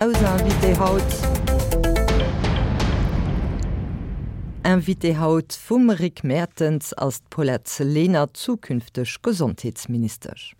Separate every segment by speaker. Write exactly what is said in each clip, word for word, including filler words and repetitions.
Speaker 1: Eis Invitée haut Invitée haut vum Rick Mertens ass d'Paulette Lenert, zukünfteg Gesondheetsministesch.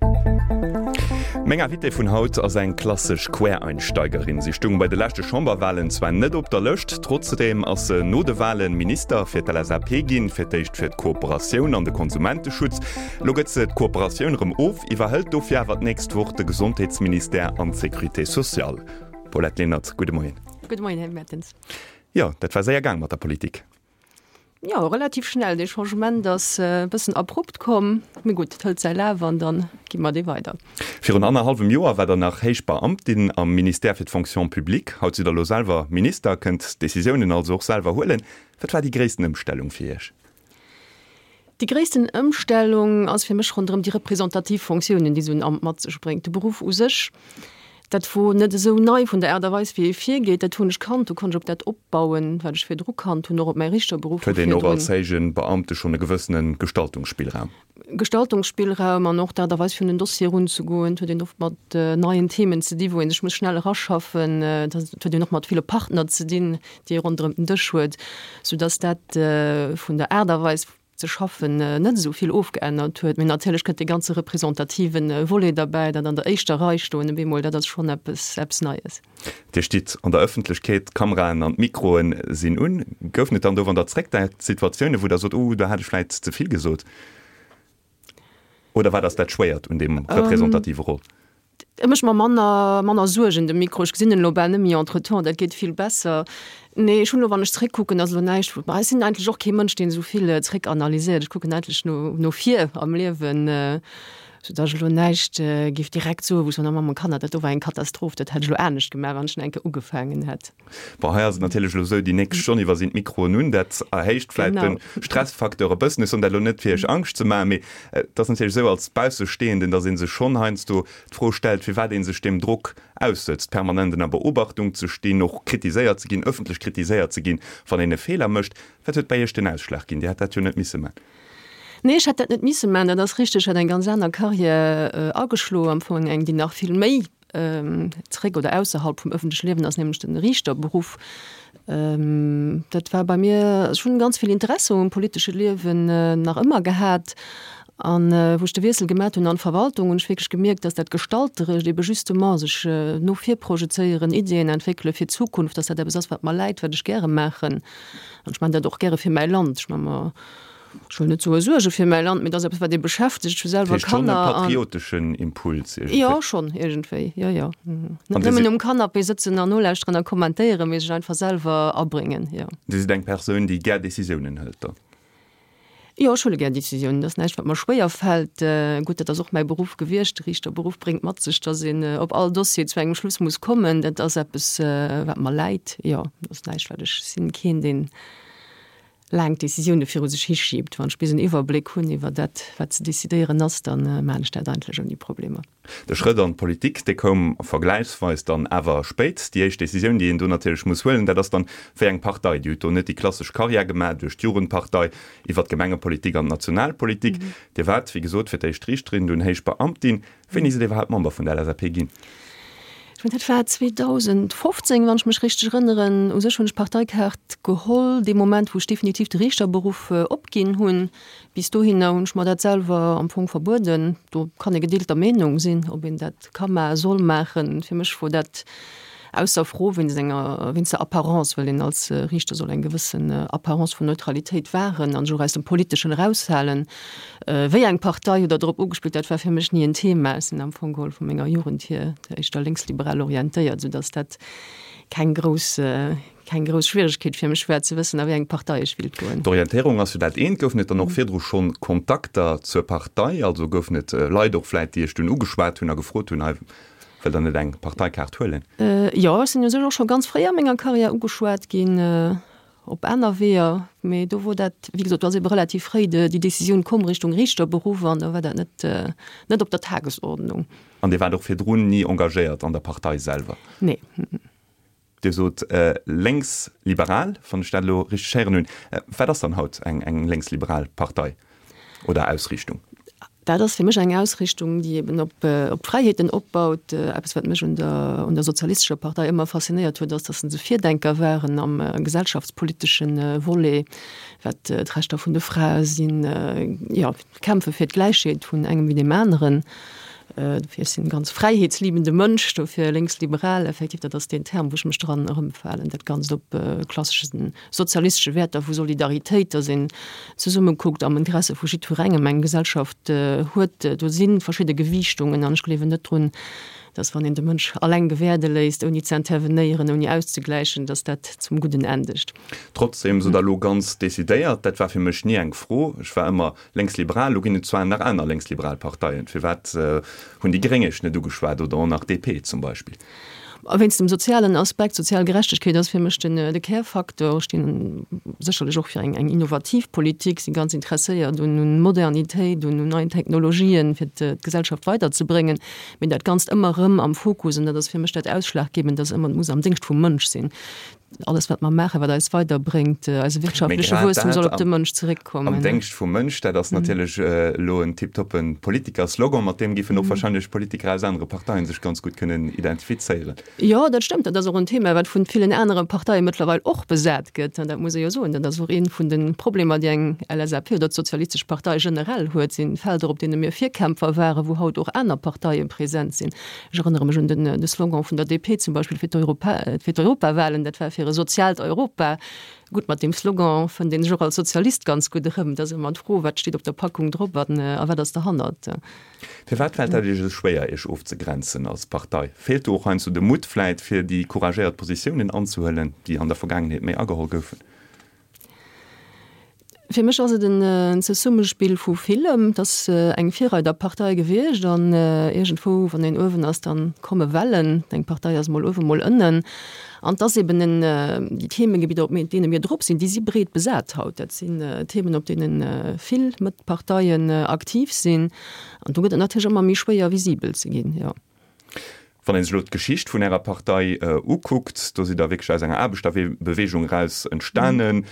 Speaker 2: Meng Invitée vun haut ass eng klassesch Quereinsteigerin. Si stoung bei de leschte Chamberwalen zwar net op der Lëscht, trotzdeem ass se no de Walen Minister fir d'LSAP ginn, fir d'éischt fir d'Kooperatioun an de Konsumenteschutz. Lo gëtt se d'Kooperatioun erëm of, iwwerhëlt dofir awer d'nächst Woch de Gesondheetsministère an d'Sécurité sociale. Paulette Lenert, gudde Moien.
Speaker 3: Gudde Moien, Här Mertens.
Speaker 2: Jo, dat war séier gaang mat der Politik.
Speaker 3: Jo, relativ schnell. Dee Changement ass e bëssen abrupt komm. Mee gutt, et hëlt säi Laf an dann gi mer dee weider.
Speaker 2: Virun annerhallwem Joer war der nach héich Beamtin am Ministère fir d'Fonction publique. Haut sidd der elo selwer Minister, kënnt Decisiounen also och selwer huelen. Wat war déi gréissten Ëmstellung fir Iech?
Speaker 3: Déi gréissten Ëmstellung ass fir mech ronderëm déi representativ Fonctiounen, déi esou en Amt mat sech bréngt. De Beruff u sech, dat wor net esou nei vun der Aart a Weis, wéi ee virgeet. Dat hunn ech kannt, do konnt ech op dat opbauen, wat ech virdru kannt hunn, och op mäi Richterberuff
Speaker 2: vu
Speaker 3: virdrun.
Speaker 2: Huet een och als héije Beamte schonn e gewëssene Gestaltungsspillraum?
Speaker 3: Gestaltungsspillraum an och d'Aart a Weis, fir un en Dossier erunzegoen. Et huet een oft mat neien Themen ze dinn, wou ee sech muss schnell eraschaffen. Et huet een och mat ville Partner ze dinn, déi ee ronderëm den Dësch huet, soudass dat vun der Aart a Weis ze schaffen net esou vill ofgeännert huet. Mee natierlech kënnt dee ganze representative Volet derbäi, dat an der éischter Rei stoen op eemol, dat ass schonn eppes, eppes Neies.
Speaker 2: Dir stitt an der Ëffentlechkeet, d'Kameraen an d'Mikroe sinn un. Goufen et dann do, wann Der zréckdenkt, Situatiounen, wou Der sot, Oh, do hat ech vläicht ze vill gesot? Oder wat ass dat Schwéiert un deem representative Rôle?
Speaker 3: E mécht mer manner, manner Suergen, de Mikro. Ech gesinn en elo bal net méi entretemps, dat geet vill besser. Nee, ech hunn elo, wann ech zréckkucken, ass elo näischt, wou, ech sinn eigentlech och kee Mënsch, deen esou vill zréckanalyséiert. Ech kucken eigentlech no, no vir am Liewen, soudatt ech elo näischt géif direkt soen, wou ech soen, oh Mamm, Kanner, dat do war eng Katastroph, dat hätt ech elo anescht gemaach, wann ech nach eng Kéier ugefaangen hätt.
Speaker 2: Bon, hei ass et natierlech elo esou, déi nächst Stonn iwwer sinn d'Mikroen un, dat erhéicht vläit de Stressfacteur e bëssen. Ech soen dat elo net, fir Iech Angscht ze maachen, mee et ass natierlech esou als Baussestehenden, datt ee sech schonn heiansdo d'Fro stellt, firwat ee sech deem Drock aussëtzt, permanent ënner Beobachtung ze stinn, och kritiséiert ze ginn, ëffentlech kritiséiert ze ginn, wann een e Feeler mécht. Wat huet bei Iech den Ausschlag ginn? Dir hätt dat jo net misse man.
Speaker 3: Nee, ech hätt dat net misse man, dat ass richteg. Ech hat eng ganz aner Carrière ageschloen, am Fong eng, déi nach vill méi zréck oder ausserhalb vum ëffentleche Liewen ass, nämlech den Riichterberuff. Dat war bei mir, ech hunn ganz vill Interesse um politesche Liewen nach ëmmer gehat. An wou ech de Wiessel gemat hunn an d'Verwaltung, hunn ech wierklech gemierkt, dass dat Gestalterescht, ebe justement sech no vir projezéieren, Iddien entwéckele fir d'Zukunft, dass dat eppes ass, wat mer läit, wat ech gäre maachen. An ech maachen dat och gäre fir mäi Land. Ech maache mer, ech wëll net soe Suerge fir mäi Land, mee et ass eppes, wat ee beschäftegt. Ech hu selwer
Speaker 2: Dat heescht schonn e
Speaker 3: Kanner an.
Speaker 2: patrioteschen Impuls iergendwéi.
Speaker 3: Jo, schonn iergendwéi, jo, jo. Net
Speaker 2: An Dir
Speaker 3: nëmmen
Speaker 2: sidd.
Speaker 3: um Canapé sëtzen an nolauschteren a kommentéieren, mee sech einfach selwer abréngen, jo.
Speaker 2: Dir sidd eng Persoun, déi gär Decisiounen hëlt dann?
Speaker 3: Jo, ech huele gär Decisiounen. Dat ass näischt, wat mer schwéier fält. Gutt, dat ass och mäi Beruff gewiescht. De Riichterberuff bréngt mat sech, datt een op all Dossier zu engem Schluss muss kommen. Dat ass eppes, wat mer läit. Jo, dat ass näischt, wat ech sinn keen, deen laang Decisioune viru sech hischiebt. Wann ech bis en Iwwerbléck hunn iwwer dat, wat ze decidéieren ass, da maachen ech dat eigentlech ouni Problemer.
Speaker 2: De Schrëtt an d'Politik, dee koum vergläichsweis dann awer spéit. Déi éischt Decisioun, déi een do natierlech muss huelen, dat ass dann, wéi eng Partei. Dir hutt do net déi klassesch Karriär gemaach duerch d'Jugendpartei, iwwer d'Gemengepolitik an d'Nationalpolitik. Dir waart, wéi gesot, fir d'éischt Riichterin, dunn héich Beamtin. Wéini sidd Dir iwwerhaapt Member vun der LSAP ginn?
Speaker 3: Ech mengen, dat war zweedausendfofzéng, wann ech mech richteg erënneren. U sech hunn ech d'Parteikaart geholl dee Moment, wou ech definitiv de Riichterberuff opginn hunn. Bis dohinner hunn ech mer dat selwer am Fong verbueden. Do kann ee gedeelter Meenung sinn, ob een dat ka maachen, soll maachen. Fir mech wor dat ausser Fro wéinst enger, wéinst der Apparence, well een als Riichter soll eng gewëssen Apparence vun Neutralitéit wahren an sech och aus dem Politeschen eraushalen. Wéi eng Partei hutt Der drop ugespillt? Dat war fir mech ni en Thema. Ech sinn am Fong geholl vu menger Jugend hier éischter lénksliberal orientéiert, soudass dat keng grouss, keng grouss Schwieregkeet fir mech war ze wëssen, a wéi eng Partei ech willt goen.
Speaker 2: D'Orientéierung ass jo dat eent. Goufen et dann och virdru schonn Kontakter zur Partei? Also goufen et Leit och vläit, déi Iech dunn ugeschwat hunn a gefrot hunn, hei, Wëllt der net eng Parteikaart huelen?
Speaker 3: Jo, ech sinn u sech och scho ganz fréi a menger Karriär ugeschwat ginn, op aner Weeër. Mee do wor dat, wéi gesot, do ass ebe relativ fréi déi Decisioun komm Richtung Riichterberuff an da war dat net, net op der Tagesordnung.
Speaker 2: An Dir waart och virdrun ni engagéiert an der Partei selwer?
Speaker 3: Nee.
Speaker 2: Dir sot lénksliberal, wann ech dat elo richteg héieren hunn. Wat ass dann haut eng lénksliberal Partei oder Ausriichtung?
Speaker 3: Dat ass fir mech eng Ausrichtung, déi eben op op Fräiheeten opbaut. Eppes, wat mech un der un der Sozialistescher Partei ëmmer faszinéiert huet, ass, datt se Virdenker waren am gesellschaftspolitesche Volet, wat d'Rechter vun de Frae sinn, jo, d'Kämpfe fir d'Gläichheet vun engem wéi deem aneren. Dofir, ech sinn e ganz fräiheetsliebende Mënsch, dofir lénksliberal, effektiv, dat ass deen Term, wou ech mech dran erëmfalen. Dat Ganzt op klassesche sozialistesche Wäerter vu Solidaritéit, datt een zesumme kuckt am Interesse vu jiddwerengem eng Gesellschaft huet. Do si verschidde Gewiichtungen an ech gleewen net drun, datt wann een de Mënsch alleng gewäerde léisst, ouni ze intervenéieren, ouni auszegläichen, datt dat zum Gudden endegt.
Speaker 2: Trotzdem sot Der elo ganz decidéiert, dat war fir mech ni eng Fro, ech war ëmmer lénksliberal, elo ginn et zwar nach aner lénksliberal Parteien, firwat hunn déi Gréng Iech net ugeschwat oder och nach D P zum Beispill?
Speaker 3: Wéinst dem sozialen Aspekt, sozial Gerechtegkeet ass fir mech den de Kärfaktor. Ech stinn sécherlech och fir eng eng innovativ Politik, si ganz interesséiert un un Modernitéit, un un neien Technologien, fir d'Gesellschaft weiderzebréngen. Mee dat Ganzt ëmmer erëm am Fokus, an dat ass fir mech dat Ausschlaggebend, dass ëmmer, et muss am Déngscht vum Mënsch sinn. Alles wat mer maachen, wat eis weiderbréngt, eise
Speaker 2: Mee
Speaker 3: wirtschaftleche
Speaker 2: grad
Speaker 3: Wuesstum soll
Speaker 2: dat
Speaker 3: op de
Speaker 2: am
Speaker 3: Mënsch
Speaker 2: am
Speaker 3: zeréckkommen.
Speaker 2: Déngscht vum Mënsch, dat ass natierlech elo en tiptoppe Politikerslogan, mat deem géifen och wahrscheinlech Politiker aus anere Parteien sech ganz gutt kënnen identifizéieren.
Speaker 3: Jo, dat stëmmt. Dat ass och en Thema, wat vun villen anere Parteie mëttlerweil och besat gëtt. An dat muss ee jo soen, dat ass och ee vun de Problemer, déi eng L S A P oder d'Sozialistesch Partei generell huet, sinn Felder, op deene mir Virkämpfer waren, wou haut och aner Parteie present sinn. Ech erënnere mech un den de Slogan vun der D P zum Beispill fir d'Europa, fir d'Europawahlen, dat war fir e soziaalt Europa. Gutt, mat deem Slogan fënnt een sech och als Sozialist ganz gutt erëm. Et ass ëmmer d'Fro, wat steet op der Packung drop an a wat ass derhannert.
Speaker 2: Firwat fält dat Iech esou schwéier, Iech ofzegrenzen als Partei? Feelt do och heiansdo de Mutt vläit, fir déi couragéiert Positiounen anzehuelen, déi an der Vergaangenheet méi ageholl goufen?
Speaker 3: Fir mech ass et en Zesummespill vu villem. Et ass eng Virreiderpartei gewiescht an iergendwou, wann een uewen ass, da komme Wellen. Eng Partei ass mol uewen, mol ënnen. An et ass eben en, déi Themegebidder, op deene mir drop sinn, déi si breet besat haut. Dat sinn Themen, op deene vill Mëttparteien aktiv sinn. An do gëtt et natierlech ëmmer méi schwéier, visibel ze ginn, jo.
Speaker 2: Wann een sech elo d'Geschicht vun Ärer Partei ukuckt, do sidd Der wierklech aus enger Aarbechterbewegung eraus entstanen,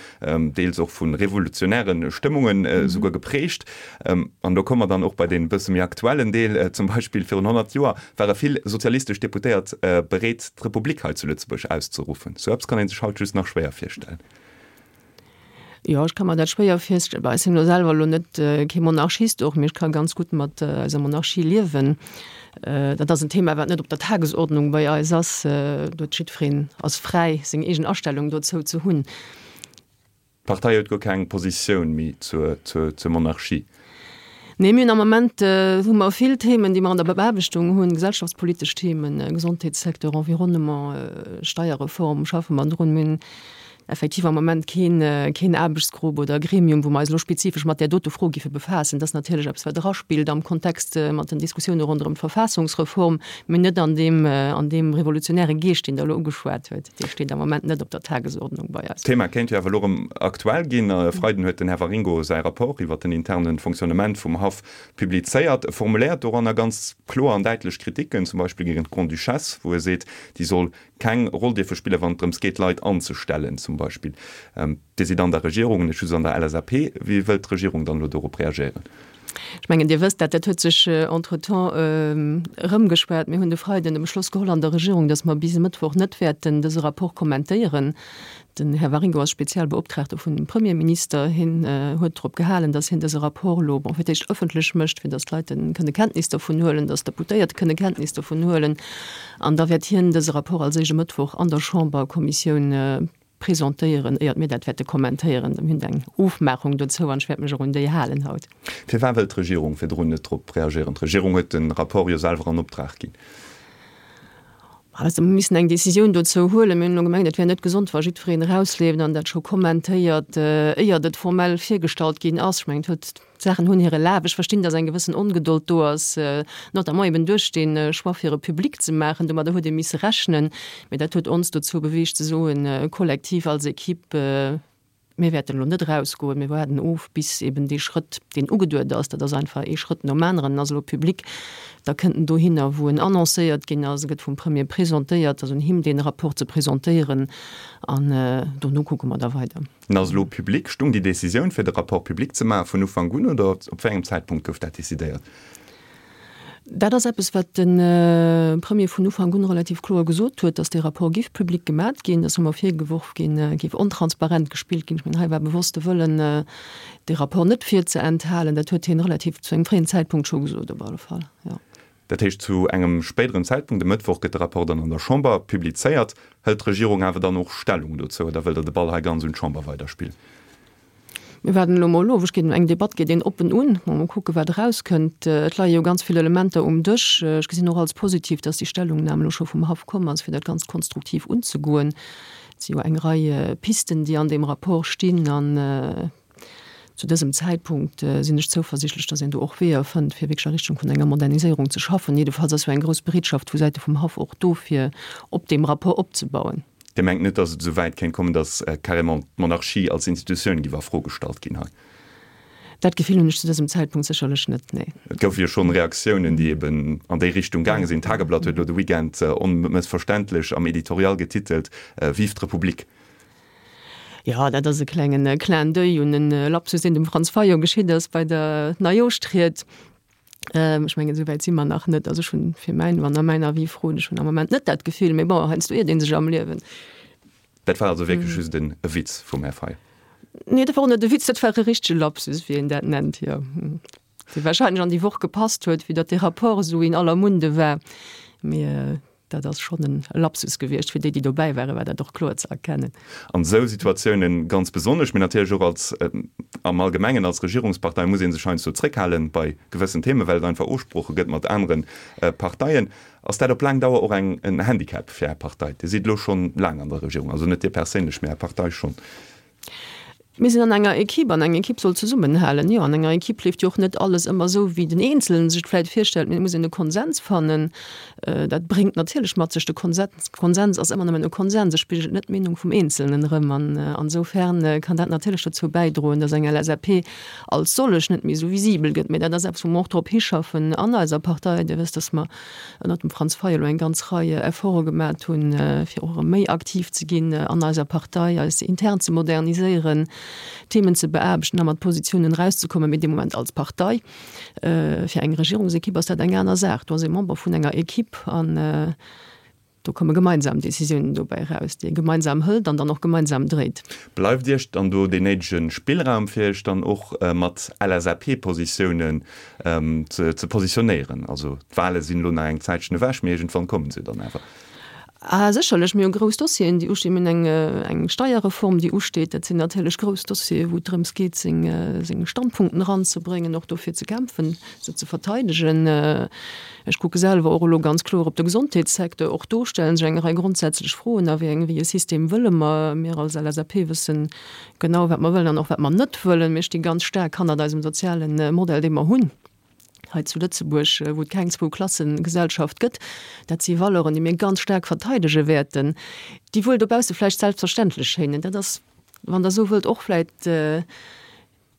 Speaker 2: deels och vu revolutionäre Stëmmungen esouguer geprägt. An do komme mer dann och bei dee bësse méi aktuellen Deel, zum Beispill virun honnert Joer ware vill sozialistesch Deputéiert bereet, d'Republik hei zu Lëtzebuerg auszeruffen. Sou eppes kann ee sech haut just nach schwéier virstellen.
Speaker 3: Jo, ech ka mer dat schwéier virstellen. Bah, ech sinn elo selwer elo net kee Monarchist och, mee ech ka ganz gutt mat eiser Monarchie liewen. Dat ass en Thema, wat net op der Tagesordnung bei eis ass. Do huet jiddwereen ass fräi, seng eegen Astellung dozou ze hunn.
Speaker 2: D'Partei huet guer keng Positioun méi zur, zur, zur Monarchie?
Speaker 3: Nee, mir hunn am Moment hu mer vill Themen, déi mer an der Beaarbechtung hunn, gesellschaftspolitesch Themen, Gesondheetssecteur, Environnement, Steierreform schaffe mer drun. Mir hunn effektiv am Moment keen, keen Aarbechtsgrupp oder Gremium, wou mer eis elo spezifesch mat där dote Fro géife befaassen. Dat ass natierlech eppes, wat eraspillt am Kontext mat den Diskussioune ronderëm d'Verfassungsreform, mee net an deem, an deem revolutionäre Geescht, deen Der elo ugeschwat huet. Dee steet am Moment net op der Tagesordnung bei eis.
Speaker 2: D'Thema kéint jo awer elo erëm aktuell ginn. E Freiden huet den Här Waringo säi Rapport iwwert den interne Fonctionnement vum Haff publizéiert. E formuléiert doranner ganz kloer an däitlech Kriticken, zum Beispill géint d'Grande-Duchesse, wou e seet, déi soll keng Roll dierfe spillen, wann et drëms geet, Leit anzestellen zum Beispill. Dir sidd an der Regierung, net just an der L S A P. Wéi wëllt d'Regierung dann elo dorop reagéieren?
Speaker 3: Ech mengen, Dir wësst dat, dat huet sech entretemps erëmgeschwat. Mir hunn de Freiden de Beschloss geholl an der Regierung, datt mer bis e Mëttwoch net wäerten dëse Rapport kommentéieren. Den Här Waringo ass Spezialbeoptraagte vun dem Premierminister. Hien huet drop gehalen, datt hien dëse Rapport elo, bon, fir d'éischt ëffentlech mécht, fir datt d'Leit kënne Kenntnis dervun huelen, datt d'Deputéiert kënne Kenntnis dervun huelen. An da wäert hien dëse Rapport als éischt e Mëttwoch an der Chamberkommissioun presentéieren, éiert mir dat wäerte kommentéieren. Mir hunn eng Ofmaachung dozou an ech wäert mech och un déi halen haut.
Speaker 2: Firwat wëllt d'Regierung virdrun net drop reagéieren? D'Regierung huet de Rapport jo selwer an Optrag ginn.
Speaker 3: Also mir missen eng Decisioun dozou huelen. Mir hunn elo gemengt, et wär net gesond, wa jiddwereen erausleeft an dat scho kommentéiert, éiert et formell virgestallt ginn ass. Ech mengen, et huet, d'Saachen hunn hire Laf. Ech verstinn, datt eng gewëssen Ongedold do ass, notamment eben duerch dee Choix fir e public ze maachen. Domadder huet ee misse rechnen. Mee dat huet ons dozou beweegt ze soen, kollektiv als Equipe, Mir wäerten elo net erausgoen, mir waarden of, bis eben dee Schrëtt, deen ugeduet ass, dat ass einfach ee Schrëtt nom aneren, en ass elo public, da kënnt en dohinner, wou en annoncéiert ginn ass, e gëtt vum Premier presentéiert, et ass un him, dee Rapport ze presentéieren an dono kucke mer da weider.
Speaker 2: En ass elo public. Stung déi Décisioun, fir de Rapport public ze maachen, vun Ufank un oder op wéi engem Zäitpunkt gouf dat decidéiert?
Speaker 3: Dat ass eppes, wat de Premier vun Ufank un relativ kloer gesot huet, datt dee Rapport géif public gemat ginn. Dat ass ëmmer virgeworf ginn, géif ontransparent gespillt ginn. Ech mengen, hei war bewosst de Wëllen, dee Rapport net virzeenthalen. Dat huet hien relativ zu engem fréien Zäitpunkt scho gesot op alle Fall, jo.
Speaker 2: Dat heescht, zu engem spéideren Zäitpunkt, e Mëttwoch, gëtt de Rapport dann an der Chamber publizéiert. Hëlt d'Regierung awer dann och Stellung dozou oder wëllt Der de Ball hei ganz un d'Chamber weiderspillen?
Speaker 3: Mir waarden elo mol of. Ech ginn, eng Debatt geet een oppen un. Mol kucke wat erauskënnt. Et leie jo ganz vill Elementer um Dësch. Ech gesinn och als positiv, datt déi Stellungnam elo scho vum Haff komm ass, fir dat Ganzt konstruktiv unzegoen. Et si jo eng Rei Pisten, déi an deem Rapport stinn. An zu dësem Zäitpunkt sinn ech zouversichtlech, datt een do och Weeër fënnt, fir wierklech a Richtung vun enger Moderniséierung ze schaffen. Jiddefalls ass jo eng grouss Bereetschaft vu Säite vum Haff och do, fir op deem Rapport opzebauen.
Speaker 2: Dir mengt net, datt et esou wäit kéint kommen, datt carrément d'Monarchie als Institutioun giff a Fro gestallt ginn hei?
Speaker 3: Dat Gefill hunn ech zu dësem Zäitpunkt sécherlech net, nee.
Speaker 2: Et goufe jo schonn Reaktiounen, déi eben an déi Richtung gaange sinn. D'Tageblatt huet elo de Weekend onmëssverständlech am Editorial getitelt, Vive d'Republik!
Speaker 3: Jo, dat ass e klengen Clin d'oeil un e Lapsus, deen dem Franz Fayot geschitt ass bei der Neijooschtried. Ech mengen, esou wäit si mer nach net. Also ech hunn fir mäin, wann Der mäin Avis frot, ech hunn am Moment net dat Gefill, mee bon, heiansdo iert ee sech am Liewen.
Speaker 2: Dat war also wierklech just e Witz vum Här Fayot?
Speaker 3: Nee, dat war och net e Witz, dat war e richtege Lapsus, wéi een dat nennt, jo. Dee warscheinlech an déi Woch gepasst huet, vue datt dee Rapport esou in aller Munde war. Mee Dat ass schonn e Lapsus gewiescht. Fir déi, déi dobäi waren, war dat och kloer ze erkennen.
Speaker 2: An esou Situatiounen ganz besonnesch, mee natierlech och als, am Allgemengen als Regierungspartei muss ee sech heiansdo zréckhalen bei gewëssen Themen, well et einfach Ofsprooche gëtt mat anere Parteien. Ass dat op laang Dauer och eng, en Handicap fir Är Partei? Dir sidd elo schonn laang an der Regierung, also net Dir perséinlech, mee Är Partei schonn.
Speaker 3: Mir sinn an enger Equipe an eng Equipe soll zesummenhalen. Jo, an enger Equipe leeft jo och net alles ëmmer esou, wéi den Eenzelen sech et vläicht virstellt, mee et muss een e Konsens fannen. Dat bréngt natierlech mat sech, de Konsens, Konsens ass ëmmer nëmmen e Konsens, e spigelt net d'Meenung vum Eenzelnen erëm. An ansoufern kann dat natierlech dozou bäidroen, datt eng L S A P als sollech net méi esou visibel gëtt. Mee dat ass eppes, wou mer och drop hischaffen an eiser Partei. Dir wësst, datt mer ënnert dem Franz Fayot elo eng ganz Rei Efforte gemat hunn, fir och erëm méi aktiv ze ginn an eiser Partei, eis intern ze moderniséieren, Themen ze beaarbechten a mat Positiounen erauszekommen. Mee dee Moment als Partei, fir eng Regierungsekipp ass dat eng aner Saach. Do ass ee Member vun enger Ekipp an do komme gemeinsam Decisiounen dobäi eraus, déi ee gemeinsam hëlt an dann och gemeinsam dréit.
Speaker 2: Bleift Iech dann do deen néidege Spillraum, fir Iech dann och mat L S A P-Positiounen ze positionéieren? Also d'Wale sinn elo nach eng Zäitchen ewech, mee iergendwann komme se dann awer.
Speaker 3: Ah, sécherlech, mir hu grouss Dossieren, déi ustinn. Mir hunn eng, eng Steierreform, déi usteet. Dat sinn natierlech grouss Dossieren, wou et drëms geet, seng, seng Standpunkten eranzebréngen, och dofir ze kämpfen, se ze verteidegen. Ech kucke selwer och elo ganz kloer op de Gesondheetssecteur. Och do stelle sech eng Rei grondsätzlech Froen, A wéi eng, wéi e System wëlle mer? Mir als L S A P wëssen genau, wat mer wëllen an och wat mer net wëllen. Mir sti ganz staark hannert eisem soziale Modell, dee mer hunn hei zu Lëtzebuerg, wou et keng Zwou-Klasse-Gesellschaft gëtt. Dat si Valeuren, déi mir ganz staark verteidege wäerten, déi wuel dobausse vläicht selbstverständlech schéinen. Dat ass, wann Der esou wëllt, och vläicht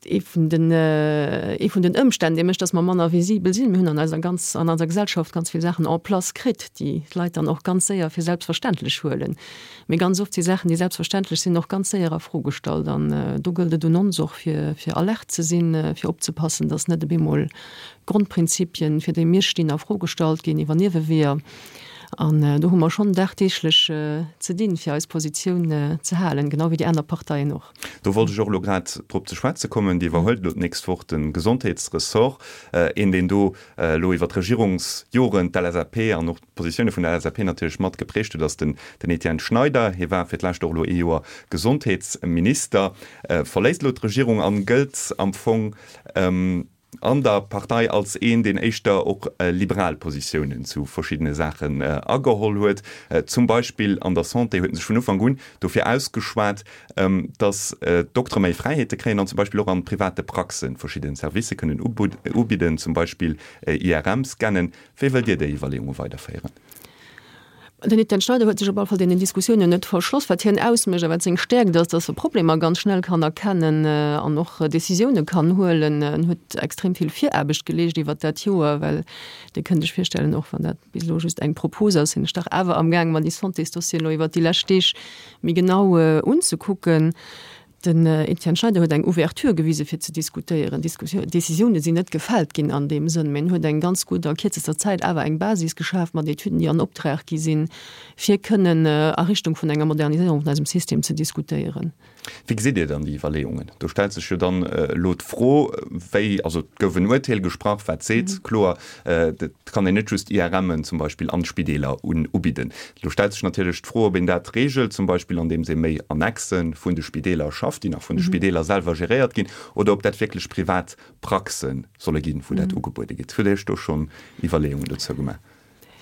Speaker 3: ee vun den, ee vun den Ëmstänn, dee mécht, dass mer manner visibel sinn. Mir hunn an eiser ganz, an eiser Gesellschaft ganz vill Saachen en place kritt, déi d'Leit dann och ganz séier fir selbstverständlech huelen. Mee ganz oft si Saachen, déi selbstverständlech sinn, och ganz séier a Fro gestallt. An do gëllt et un ons och, fir, fir alert ze sinn, fir opzepassen, dass net op eemol Grondprinzipien, fir déi mir stinn, a Fro gestallt ginn iwwer Nieweweeër. An do hu mer schonn dagdeeglech ze dinn, fir eis Positioun ze halen, genau wéi déi aner Parteien och.
Speaker 2: Do wollt ech och elo grad drop ze schwätze kommen. Dir iwwerhuelt elo d'nächst Woch de Gesondheetsressort. Een, deen do elo iwwer d'Regierungsjoren d'L S A P an och d'Positioune vun der L S A P natierlech mat geprägt huet, ass den Etienne Schneider. Hie war fir d'lescht och elo ee Joer Gesondheetsminister, verléisst elo d'Regierung an gëllt am Fong an der Partei als een, deen éischter och liberal Positiounen zu verschiddene Saachen ageholl huet. Zum Beispill an der Santé huet en sech vun Ufank un dofir ausgeschwat, datt d'Doktere méi Fräiheete kréien an zum Beispill och an private Praxen verschidde Servicë kënnen ubidden, zum Beispill I R M-Scannen. Wéi wëllt Dir déi Iwwerleeunge weiderféieren?
Speaker 3: Den Etienne Schneider huet sech op alle Fall deenen Diskussiounen net verschloss. Wat hien ausmécht a wat seng Stäerkt ass, datt e Problemer ganz schnell kann erkennen an och Decisioune kann huelen. En huet extrem vill Viraarbecht geleescht iwwert dat Joer, well Dir kënnt Iech virstellen, och wann dat bis elo just eng Propos ass, sinn ech dach awer amgaang, mer déi Santésdossieren elo iwwert déi lescht Deeg méi genau unzekucken. Den Etienne Schneider huet eng Ouverture gewise fir ze diskutéieren. Décisioune sinn net gefält ginn an deem Sënn, mä en huet eng ganz gutt a kierzester Zäit awer eng Basis geschaf mat Etüden, déi an Optrag gi sinn, fir kënnen a Richtung vun enger Moderniséierung vun eisem System ze diskutéieren.
Speaker 2: Wéi gesitt Dir dann déi Iwwerleeungen? Do stellt sech jo dann elo d'Fro, wéi, also et gouf en Urteel gesprach, wat seet kloer, et kann een net just IRMen zum Beispill an d'Spideeler ubidden. Elo stellt sech natierlech d'Fro, ob een dat reegelt, zum Beispill andeems ee méi Annexe vun de Spideeler schafft, déi nach vun de Spideeler selwer geréiert ginn, oder ob dat wierklech privat Praxe solle ginn, wou dat ugebuede gëtt. Hutt Dir Iech do schonn Iwwerleeungen dozou gemaach?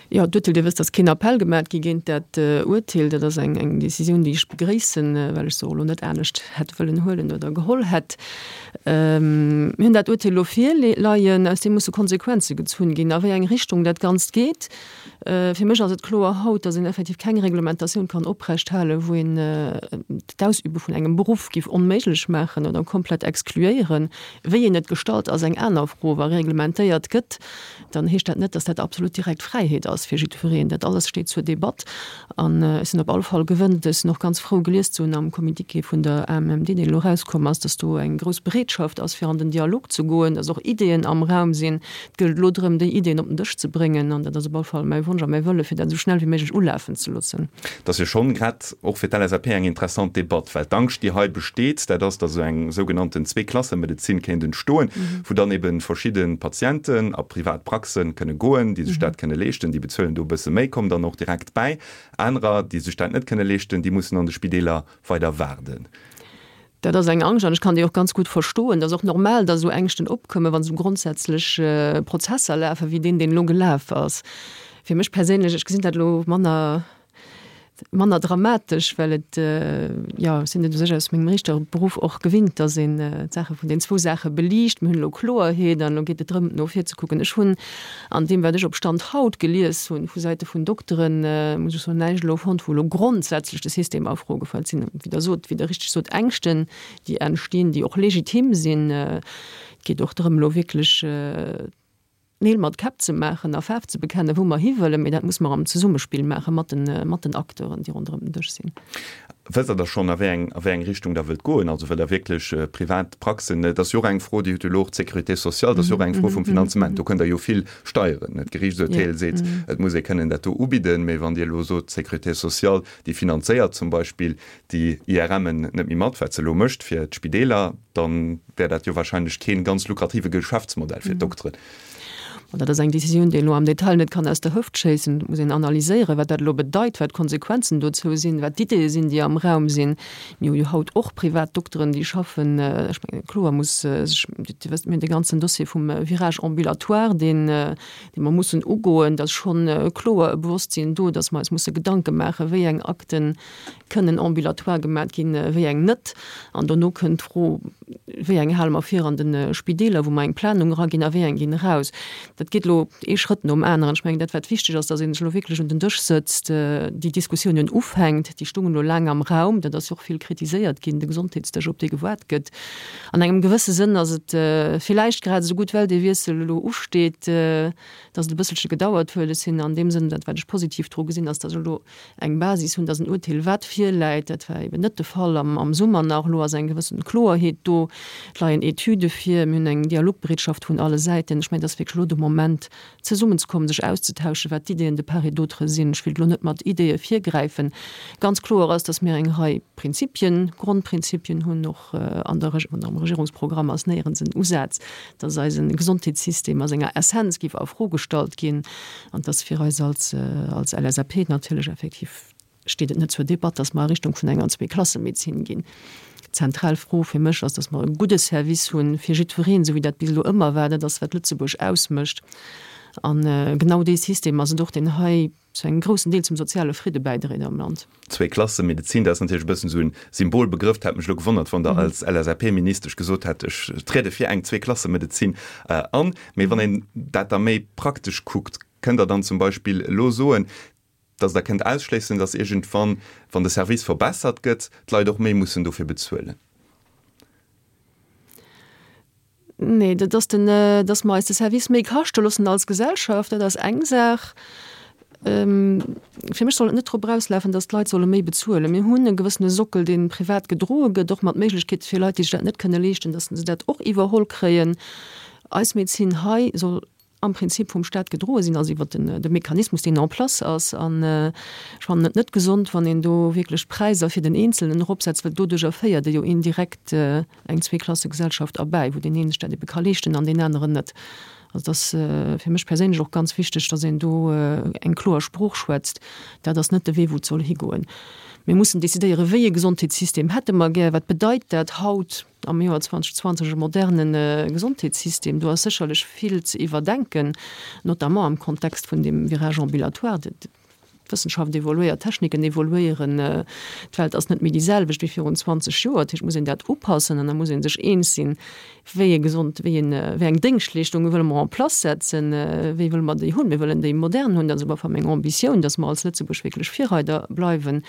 Speaker 3: Jo, d'Urteel, Dir wësst, dass keen Appell gemaat gi géint dat Urteel. Dat ass eng eng Décisioun, déi ech begréissen, well ech se och elo net anescht hätt wëllen huelen oder geholl hätt. Mir hunn dat Urteel elo virleien, aus deem musse Konsequenze gezunn ginn, a wéi eng Richtung dat Ganzt geet. Fir mech ass et kloer haut, dass een effektiv keng Reglementatioun kann oprechthalen, wou een d'Ausübe vun engem Beruff géif onméiglech maachen oder komplett exkluéieren. Wéi een et gestalt, ass eng aner Fro. Wa reglementéiert gëtt, dann heescht dat net, dass dat absolut direkt Fräiheet ass fir jiddwereen. Dat alles steet zur Debatt an ech sinn op alle Fall gewënnt, ech sinn och ganz frou gelies ze hunn am Communiqué vun der AMMD, deen elo erauskomm ass, dass do eng grouss Bereetschaft ass, fir an den Dialog ze goen, dass och Ideeën am Raum sinn. Et gëllt elo drëm, déi Ideeën op den Dësch ze bréngen an dat ass op alle Fall mäi Wonsch a mäi Wëlle, fir dat esou schnell wéi méiglech ulafen ze loossen.
Speaker 2: Dat ass jo schonn grad och fir d'LSAP eng interessant Debatt, well d'Angscht, déi hei besteet, dat ass, datt esou eng sougenannten Zweeklassemedezin kéint entstoen, wou dann ebe verschidde Patienten a privat Praxe kënne goen, déi sech dat kënne leeschten, déi bezuelen do e bësse méi, kommen dann och direkt bäi. Anerer, déi sech dat net kënne leeschten, déi mussen an de Spideeler weider waarden.
Speaker 3: Dat ass eng Angscht an ech kann déi och ganz gutt verstoen. Et ass och normal, datt esou Ängschten opkommen, wann esou grondsätzlech Prozesser lafen, wéi deen, deen elo gelaf ass. Fir mech perséinlech, ech gesinn dat elo manner, manner dramatesch, well et, jo, ech sinn et u sech aus mengem Riichterberuff och gewinnt, datt een d'Saache vun den zwou Saache beliicht. Mir hunn elo Kloerheet an elo geet et drëm, no vir ze kucken. Ech hunn an deem, wat ech op Stand haut gelies hunn vu Säite vun Dokteren, muss ech soen, näischt elo fonnt, wou elo grondsätzlech de System a Fro gefallt sinn. Wéi Der sot, wéi Der richteg sot, Ängschten, déi entstinn, déi och legitim sinn. Et geet och drëm, elo wierklech Neel mat Käpp ze maachen a Faarf ze bekennen, wou mer hiwëllen. Mee dat muss mer am Zesummespill maache mat den Acteuren, déi ronderëm den Dësch sinn.
Speaker 2: Wësst Der da schonn, a wéi eng, a wéi eng Richtung Der wëllt goen? Also wëllt Der wierklech privat Praxen? Et ass jo och eng Fro, déi huet jo elo och d'Sécurité sociale, dat ass jo och eng Fro vum Finanzement. Do kënnt Der jo vill steieren. D'Geriichtsurteel seet, et muss ee kënnen dat do ubidden. Mee wann Dir elo sot, d'Sécurité sociale, déi finanzéiert zum Beispill déi IRMen net méi mat, wat se elo mécht fir d'Spideeler, da wär dat jo wahrscheinlech kee ganz lukrative Geschäftsmodell fir d'Dokteren.
Speaker 3: Bon, dat ass eng Décisioun, déi een elo am Detail net kann aus der Hëft schéissen. Et muss een analyséieren, wat dat elo bedeit, wat d'Konsequenzen dozou sinn, wat d'Ideeë sinn, déi am Raum sinn. Mir hu jo haut och privat Dokteren, déi schaffen. Ech mengen, kloer muss sech, Dir wësst, mir hunn dee ganzen Dossier vum Virage ambulatoire, deen, dee mer mussen ugoen. Et ass schonn kloer e Bewosstsinn do, dass mer eis musse Gedanke maachen, wéi eng Akten kënnen ambulatoire gemat ginn, wéi eng net. An dono kënnt d'Fro, Wéi eng hale mer vir an de Spideeler, wou mer eng Planung eraginn, a wéi eng ginn eraus? Dat geet elo ee Schrëtt nom aneren. Ech mengen, dat wat wichteg ass, datt ee sech elo wierklech un den Dësch sëtzt, déi Diskussiounen ufänkt. Déi stungen elo laang am Raum. Dat ass jo och vill kritiséiert ginn, de Gesondheetsdësch, op dee gewaart gëtt. An engem gewësse Sënn ass et villäicht grad esou gutt, well dee Wiessel elo usteet, datt et e bësselche gedauert huet. Ech sinn an deem Sënn, dat wat ech positiv dru gesinn, ass, datt ech elo eng Basis hunn, datt en Urteel wat virläit. Dat war eben net de Fall am Summer nach. Elo ass eng gewëssen Kloerheet do. Et leien Etüde vir. Mir hunn eng Dialogbereetschaft vun alle Säiten. Ech mengen, et ass wierklech elo de Moment, zesummenzekommen, sech auszetauschen, wat d'Ideeën de part et d'autre sinn. Ech wéilt elo net mat Ideeë virgräifen. Ganz kloer ass, datt mir eng Rei Prinzipien, Grondprinzipien hunn, och an der, am Regierungsprogramm ass néierens en Usaz, datt eise Gesondheetssystem a senger Essenz géif a Fro gestallt ginn an datt fir eis als, als LSAP natierlech effektiv steet et net zur Debatt, datt mer a Richtung vun enger Zweeklassemedezin ginn. D'zentral Fro fir mech ass, datt mer e gudde Service hu fir jiddwereen, esou wéi dat bis elo ëmmer war. Dat ass, wat Lëtzebuerg ausmécht. A genau dee System ass et och, deen hei zu engem groussen Deel zum soziale Fridde bäidréit am Land.
Speaker 2: Zweeklassemedezin, dat ass natierlech e bëssen esou e Symbolbegrëff. Dat hätt mech elo gewonnert, wann Der als LSAP-Ministesch gesot hätt, ech triede fir eng Zweeklassemedezin an. Mee wann een dat da méi praktesch kuckt, kënnt Der dann zum Beispill elo soen, datt Der kënnt ausschléissen, datt iergendwann, wann de Service verbessert gëtt, d'Leit och méi mussen dofir bezuelen?
Speaker 3: Nee, dat ass den, datt mer eis de Service méi kaschte loossen als Gesellschaft, dat ass eng Saach. Fir mech soll et net drop erauslafen, datt d'Leit solle méi bezuelen. Mir hunn e gewëssene Sockel, dee privat gedroe gëtt, och mat Méiglechkeet fir Leit, déi sech dat net kënne leeschten, datt se dat och iwwerholl kréien. Eis Medezin hei soll am Prinzip vum Staat gedroe sinn, also iwwert den de Mechanismus, deen en place ass. An ech fannen et net gesond, wann een do wierklech d'Präisser fir den Eenzelnen eropsetzt, well doduerjer féiert ee jo indirekt eng Zweeklassegesellschaft erbäi, wou deen een sech dat ebe ka leeschten an deen aneren net. Also et ass fir mech perséinlech och ganz wichteg, datt een do eng kloer Sprooch schwätzt. Dat ass net de Wee, wou et soll higoen. Mir mussen decidéieren, wéi e Gesondheetssystem hätte mer gär, wat bedeit dat haut am Joer zweedausend zwanzeg e moderne Gesondheetssystem. Do ass sécherlech vill ze iwwerdenken, notamment am Kontext vun deem Virage ambulatoire. D'Wëssenschaft evoluéiert, d'Techniken evoluéieren, d'Welt ass net méi déi selwecht wéi virun zwanzeg Joer. Dat heescht, et muss een dat upassen an da muss ee sech eens sinn, wéi e gesond, wéi een, wéi eng Déngschtleeschtunge wëlle mer en place setzen, wéi wëlle mer déi hunn. Mir wëllen déi modern hunn, dat ass op alle Fall meng Ambitioun, dass mer als Lëtzebuerg wierklech Virreider bleiwen.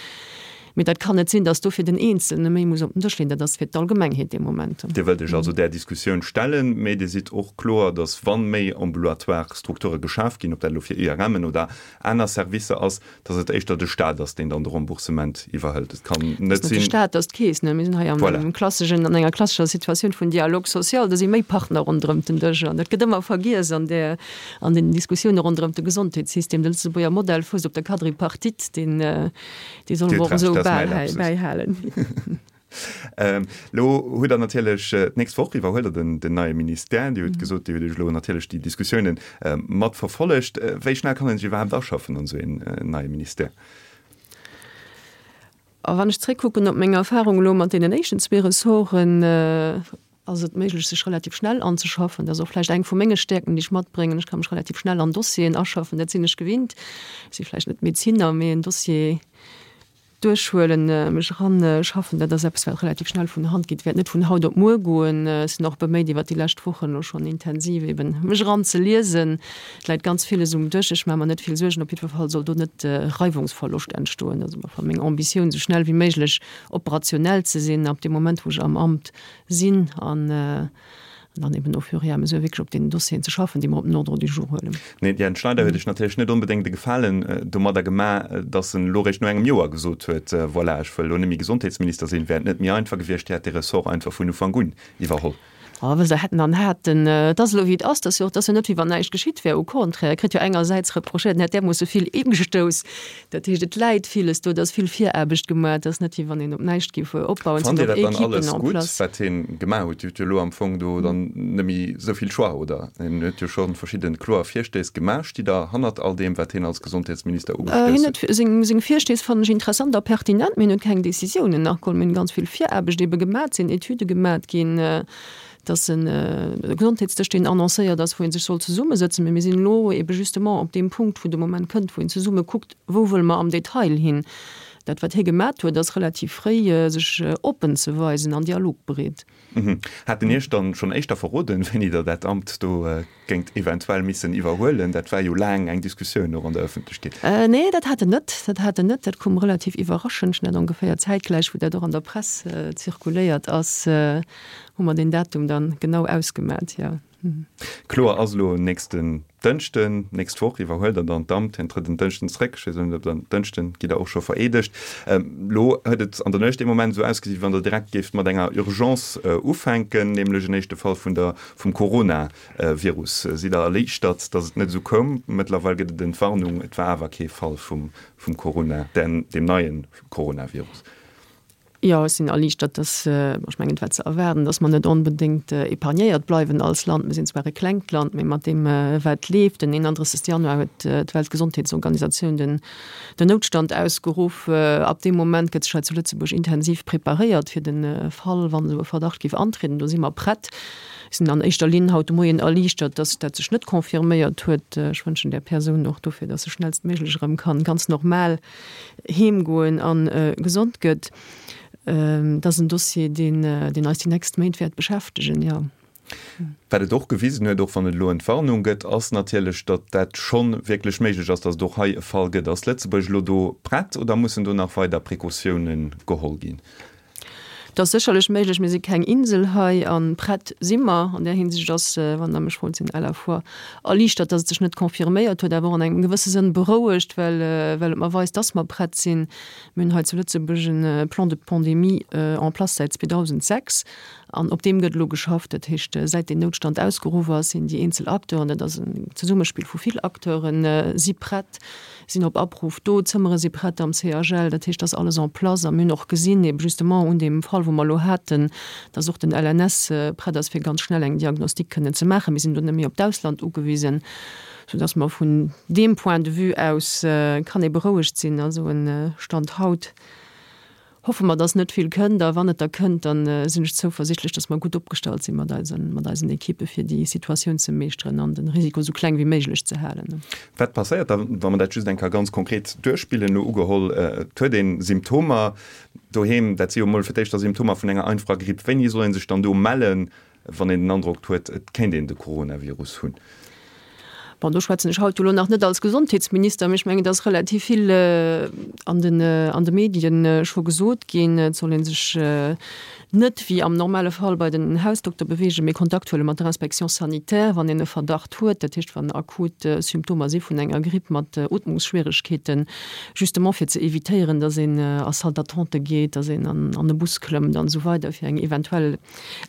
Speaker 3: Mee dat kann net sinn, dass dofir den Eenzelne méi muss op den Dësch leeën. Dat ass fir d'Allgemengheet dee Moment.
Speaker 2: Dir wëllt Iech also där Diskussioun stellen, mee Dir sidd och kloer, dass wa méi ambulatoire Strukture geschaf ginn, ob dat elo fir I R M'en oder aner Servicer ass, dass et éischter de Staat ass, deen dann de Remboursement iwwerhëlt. Et kann net
Speaker 3: sinn. De Staat ass d'Keess, ne? Mir sinn hei am klasseschen, an enger klassescher Situatioun vun Dialogue social. Do si méi Partner ronderëm den Dësch an dat gëtt ëmmer vergiess an där, an den Diskussioune ronderëm de Gesondheetssystem. De Lëtzebuerger Modell fousst op der Quadripartite, deen, dee solle mer och esou bäihalen.
Speaker 2: Elo hutt Der natierlech d'nächst Woch iwwerhuelt Der den, den neie Ministère. Dir hutt gesot, Dir hutt Iech elo natierlech déi Diskussiounen mat verfollegt. Wéi schnell kann een sech iwwerhaapt aschaffen an esou een neie Ministère?
Speaker 3: A wann ech zréckkucken op meng Erfahrung elo mat deenen éischten zwee Ressorten, ass et méiglech, sech relativ schnell anzeschaffen. Dat ass och vläicht eng vu menge Stäerkten, déi ech matbréngen. Ech ka mech relativ schnell an Dossieren aschaffen, dat sinn ech gewinnt. Ech si vläicht net Medezinner, mee en Dossier duerchhuelen, mech eranschaffen, dat ass eppes, wat relativ schnell vun der Hand geet. Wäert net vun haut op muer goen. Ech sinn och beméit, iwwert déi lescht Wochen elo schonn intensiv eben mech eranzeliesen. Et läit ganz villes um Dësch. Ech maache mer net vill Suergen. Op jiddwer Fall soll do net Reiwungsverloscht entstoen. Dat ass op alle Fall meng Ambitioun, esou schnell wéi méiglech operationell ze sinn ab deem Moment, wou ech am Amt sinn an dann eben au fur et à mesure wierklech op deenen Dossieren ze schaffen, déi mer op den Ordre du jour huelen.
Speaker 2: Den Etienne Schneider huet Iech natierlech net onbedéngt e Gefalen domadder gemaach, datt en elo réischt no engem Joer gesot huet, voilà, ech wëll elo net méi Gesondheetsminister sinn. Wär et net méi einfach gewiescht, Dir hätt dee Ressort einfach vun Ufank un iwwerholl?
Speaker 3: Oh, wësst Der, hätten an haten. Et ass elo wéi et ass. Et ass jo och, et ass jo net wéi wann näischt geschitt wär. Au contraire, e kritt jo engersäits reprochéiert, en hätt därmoosse vill ëmgestouss. Dat heescht, et läit villes do, et ass vill Viraarbecht gemaach. Et ass net wéi wann een op näischt géif opbauen. Et
Speaker 2: Fannt
Speaker 3: sinn
Speaker 2: Dir
Speaker 3: och
Speaker 2: dat dann
Speaker 3: Equipen
Speaker 2: alles
Speaker 3: en
Speaker 2: gutt,
Speaker 3: place.
Speaker 2: wat hien gemaach huet? Dir hutt jo elo am Fong do dann net méi esou vill Choix, oder? Hien huet jo scho verschidde kloer Virstéiss gemaach. Stitt Der hannert all deem, wat hien als Gesondheetsminister
Speaker 3: Hien
Speaker 2: ugestouss
Speaker 3: huet
Speaker 2: huet?
Speaker 3: seng, seng Virstéiss fannen ech interessant a pertinent, mee hien huet keng Décisiounen nach geholl. Mir hunn ganz vill Viraarbecht ebe gemaach, et sinn Etüde gemaach ginn, dass e Gesondheetsdësch, deen annoncéiert ass, wou ee sech soll zesummesëtzen. Mee mir sinn elo ebe justement op deem Punkt, wou de Moment kënnt, wou een zesumme kuckt, wou wëlle mer am Detail hin. Dat, wat hie gemat huet, ass relativ fréi sech oppen ze weisen an dialogbereet.
Speaker 2: Hat en Iech dann schonn éischter verroden, wéini Der dat Amt do géingt eventuell missen iwwerhuelen? Dat war jo laang eng Diskussioun och an der Ëffentlechkeet.
Speaker 3: Nee, dat hat en net. Dat hat en net. Dat koum relativ iwwerraschend. Ech net ongeféier zäitgläich, wou dat och an der Press zirkuléiert ass, hu mer deen Datum dann genau ausgemat, jo.
Speaker 2: Kloer ass elo, nächsten Dënschden, nächst Woch, iwwerhuelt Der dann d'Amt. Hien trëtt en Dënschden zréck. Ech weess elo net, ob der Dënschden gitt Der och scho vereedegt. Elo huet et an der Nuecht ee Moment esou ausgesi wéi wann Der direkt géift mat enger Urgence ufänken, nämlech en éischte Fall vun der vum Coronavirus. Sidd Der erliichtert, datt et net esou koum? Mëttlerweil gëtt et Entwarnung, et war awer kee Fall vum vum Corona, den deem neie Coronavirus.
Speaker 3: Jo, ech sinn erliichtert, dass, ech mengen, et war ze erwaarden, dass mer net onbedéngt épargnéiert bleiwen als Land. Mir sinn zwar e klengt Land, mee mat deem, wat leeft, den eenanddrëssegste Januar huet d'Weltgesondheetsorganisatioun den Noutstand ausgeruff. Ab deem Moment gëtt sech hei zu Lëtzebuerg intensiv preparéiert fir de Fall, wann esou e Verdacht géif antrieden. Do si mer prett. Ech sinn an éischter Linn haut de Moien erliichtert, dass dat sech net confirméiert huet. Ech wënschen där Persoun och dofir, dass se schnellstméiglech erëm kann ganz normal heemgoen a gesond gëtt. Dat ass en Dossier, deen, deen eis déi nächst Méint wäert beschäftegen, jo.
Speaker 2: Wat et och gewisen huet, och wann et elo Entwarnung gëtt, ass natierlech, datt dat scho wierklech méiglech ass, datt et och hei e Fall gëtt. Ass Lëtzebuerg elo do prett oder mussen do nach weider Precautiounen geholl ginn?
Speaker 3: Et ass sécherlech méiglech. Mir si keng Insel hei a prett si mer. An där Hinsicht ass, wann Der mech frot, sinn à la fois erliichtert, datt et sech net confirméiert huet, awer och an engem gewësse Sënn berouegt, well well et mer weist, datt mer prett sinn. Mir hunn hei zu Lëtzebuerg e Plan de pandémie en place säit zweedausendsechs an op deem gëtt elo geschafft. Dat heescht, säit deen Noutstand ausgeruff ass, sinn déi eenzel Acteuren, dat ass en Zesummespill vu vill Acteuren, si prett, sinn op Abruff do, d'Zëmmere si prett am C H L, dat heescht, dat ass alles en place. A mir hunn och gesinn, ebe justement un deem Fall, wou mer elo haten, dass och den L N S prett ass, fir ganz schnell eng Diagnostik kënnen ze maachen. Mir sinn do net méi op d'Ausland ugewisen, soudass mer vun deem Point de vue aus kann ee berouegt sinn. Also e Stand haut hoffe mer, dass net vill kënnt, a wann et da kënnt, da sinn ech zouversichtlech, dass mer gutt opgestallt si mat eisen, mat eisen Ekippe fir déi Situatioun ze meeschteren an den Risiko esou kleng wéi méiglech ze halen.
Speaker 2: Wat passéiert da, wa mer dat just eng Kéier ganz konkret duerchspillen? Elo ugeholl, et huet ee Symptomer doheem, dat si jo emol fir d'éischt da Symptomer vun enger einfacher Gripp. Wéini soll ee sech dann do mellen, wann een den Androck huet, et kéint een de Coronavirus hunn?
Speaker 3: Bon, do schwätzen ech haut elo nach net als Gesondheetsminister, mee ech mengen, et ass relativ vill an den, an de Medien scho gesot ginn. Et soll ee sech net wéi am normale Fall bei den Hausdokter beweegen, mee Kontakt huele mat der Inspection sanitaire, wann een e Verdacht huet, dat heescht, wann akut Symptomer si vun enger Gripp mat Ootmungsschwieregkeeten, justement fir ze evitéieren, dass een a Salle d'attente geet, dass een an, an e Bus klëmmt an esou weider, fir eng eventuell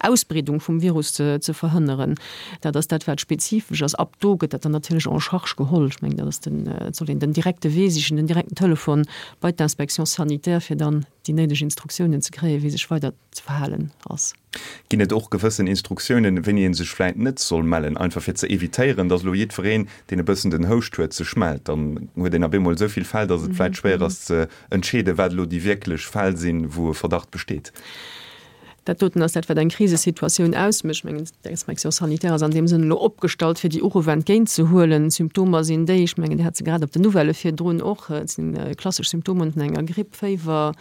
Speaker 3: Ausbreedung vum Virus ze, ze verhënneren. Dat ass dat, wat spezifesch ass. Ab do gëtt dat dann natierlech en charge geholl. Ech mengen, dat ass den, et soll een den direkte Wee sichen, den direkten Telefon bei d'Inspection sanitaire, fir dann déi néideg Instruktiounen ze kréien, wéi sech weider ze verhalen ass.
Speaker 2: Ginn et och gewëssen Instruktiounen, wéini ee sech vläit net soll mellen, einfach fir ze evitéieren, dass elo jiddwereen, deen e bëssen den Houscht huet, sech mellt? Dann huet een op eemol esou vill Fäll, dass et vläit schwéier ass ze entscheeden, wat elo déi wierklech Fäll sinn, wou e Verdacht besteet.
Speaker 3: Dat doten ass dat, wat eng Krisesituatioun ausmécht. Ech mengen, d'Inspection sanitaire ass an deem Sënn elo opgestallt, fir déi Uruff entgéintzehuelen. D'Symptomer sinn déi, ech mengen, Dir hat se grad op den Nouvellë virdrun och, et si klassesch Symptomer vun enger Gripp, Féiwer,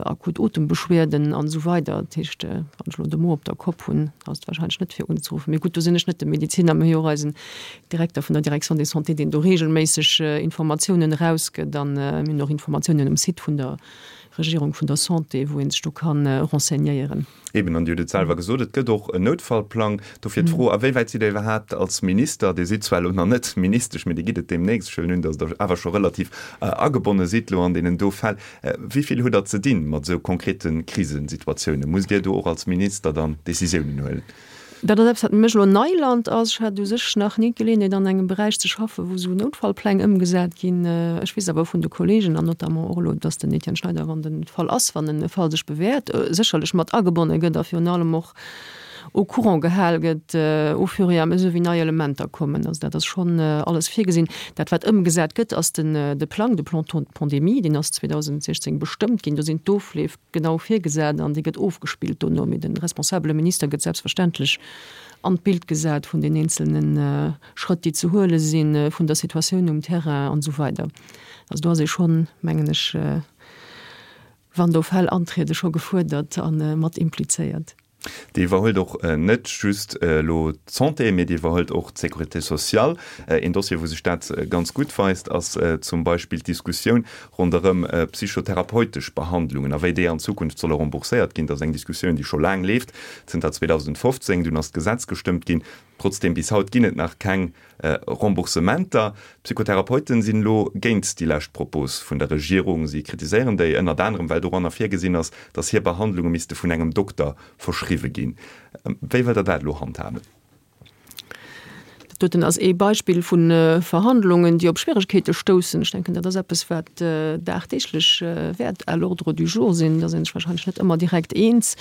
Speaker 3: akut Otembeschwerden an esou weider. Dat heescht, wann ech elo de Mo op der Kopp hunn, ass et warscheinlech net fir unzeruffen. Mee gutt, do sinn ech net de Mediziner, mir hu jo och eisen Direkter vun der Direction de Santé, deen do reegelméisseg Informatiounen erausgëtt an mir hunn och Informatiounen um Site vun der Regierung vun der Santé, wou ee sech do kann renseignéieren.
Speaker 2: Eben, an Dir hutt et selwer gesot, et gëtt och en Noutfallplang. Dofir d'Fro, A wéi wäit sidd Dir iwwerhaapt als Minister, Dir sidd zwar elo nach net Ministesch, mee Dir gitt et deemnächst, ech huelen un, datt Der awer scho relativ agebonne sidd elo an deenen do Fäll, wéi vill hutt Der ze dinn mat esou konkrete Krisesituatiounen? Musst Dir do och als Minister dann Decisiounen huelen?
Speaker 3: Dat ass eppes, wat fir mech elo Neiland ass. Ech hat u sech nach ni d'Geleeënheet, an engem Beräich ze schaffen, wou esou Noutfallpläng ëmgesat ginn. Ech weess awer vun de Kolleegen an notamment och elo, dass den Etienne Schneider, wann den Fall ass, wann en Fall sech bewäert, sécherlech mat agebonne gëtt a virun allem och au courant gehal gëtt au fur et à mesure, wéi nei Elementer kommen. Also dat ass schonn alles virgesinn. Dat, wat ëmgesat gëtt, ass den de Plang, de Plan pandémie, deen ass zweedausendsechzéng bestëmmt ginn. Do sinn d'Ofleef genau virgesat an dee gëtt ofgespillt dono. Mee de responsabele Minister gëtt selbstverständlech an d'Bild gesat vun den eenzelne Schrëtt, déi ze huele sinn, vun der Situatioun um Terrain an esou weider. Also do ass ee schonn, mengen ech, wann do Fäll antriede, scho gefuerdert a mat implizéiert.
Speaker 2: Dir iwwerhuelt och net just elo d'Santé, mee Dir iwwerhuelt och d'Sécurité sociale. Een Dossier, wou sech dat ganz gutt weist, ass zum Beispill d'Diskussioun ronderëm psychotherapeutesch Behandlungen a wéi déi an Zukunft solle rembourséiert ginn. Dat ass eng Diskussioun, déi scho laang leeft, zënter zweedausendfofzéng. Dunn ass d'Gesetz gestëmmt ginn. Trotzdeem, bis haut ginn et nach keng Remboursementer. D'Psychotherapeuten sinn elo géint déi lescht Propos vun der Regierung. Si kritiséieren déi ënnert anerem, well doranner virgesinn ass, datt hir Behandlunge misste vun engem Dokter verschriwwe ginn. Wéi wëllt Der dat elo handhaben?
Speaker 3: Dat doten ass ee Beispill vu Verhandlungen, déi op Schwieregkeete stoussen. Ech denken, dat ass eppes, wat dagdeeglech wäert à l'ordre du jour sinn. Da sinn sech wahrscheinlech net ëmmer direkt eens.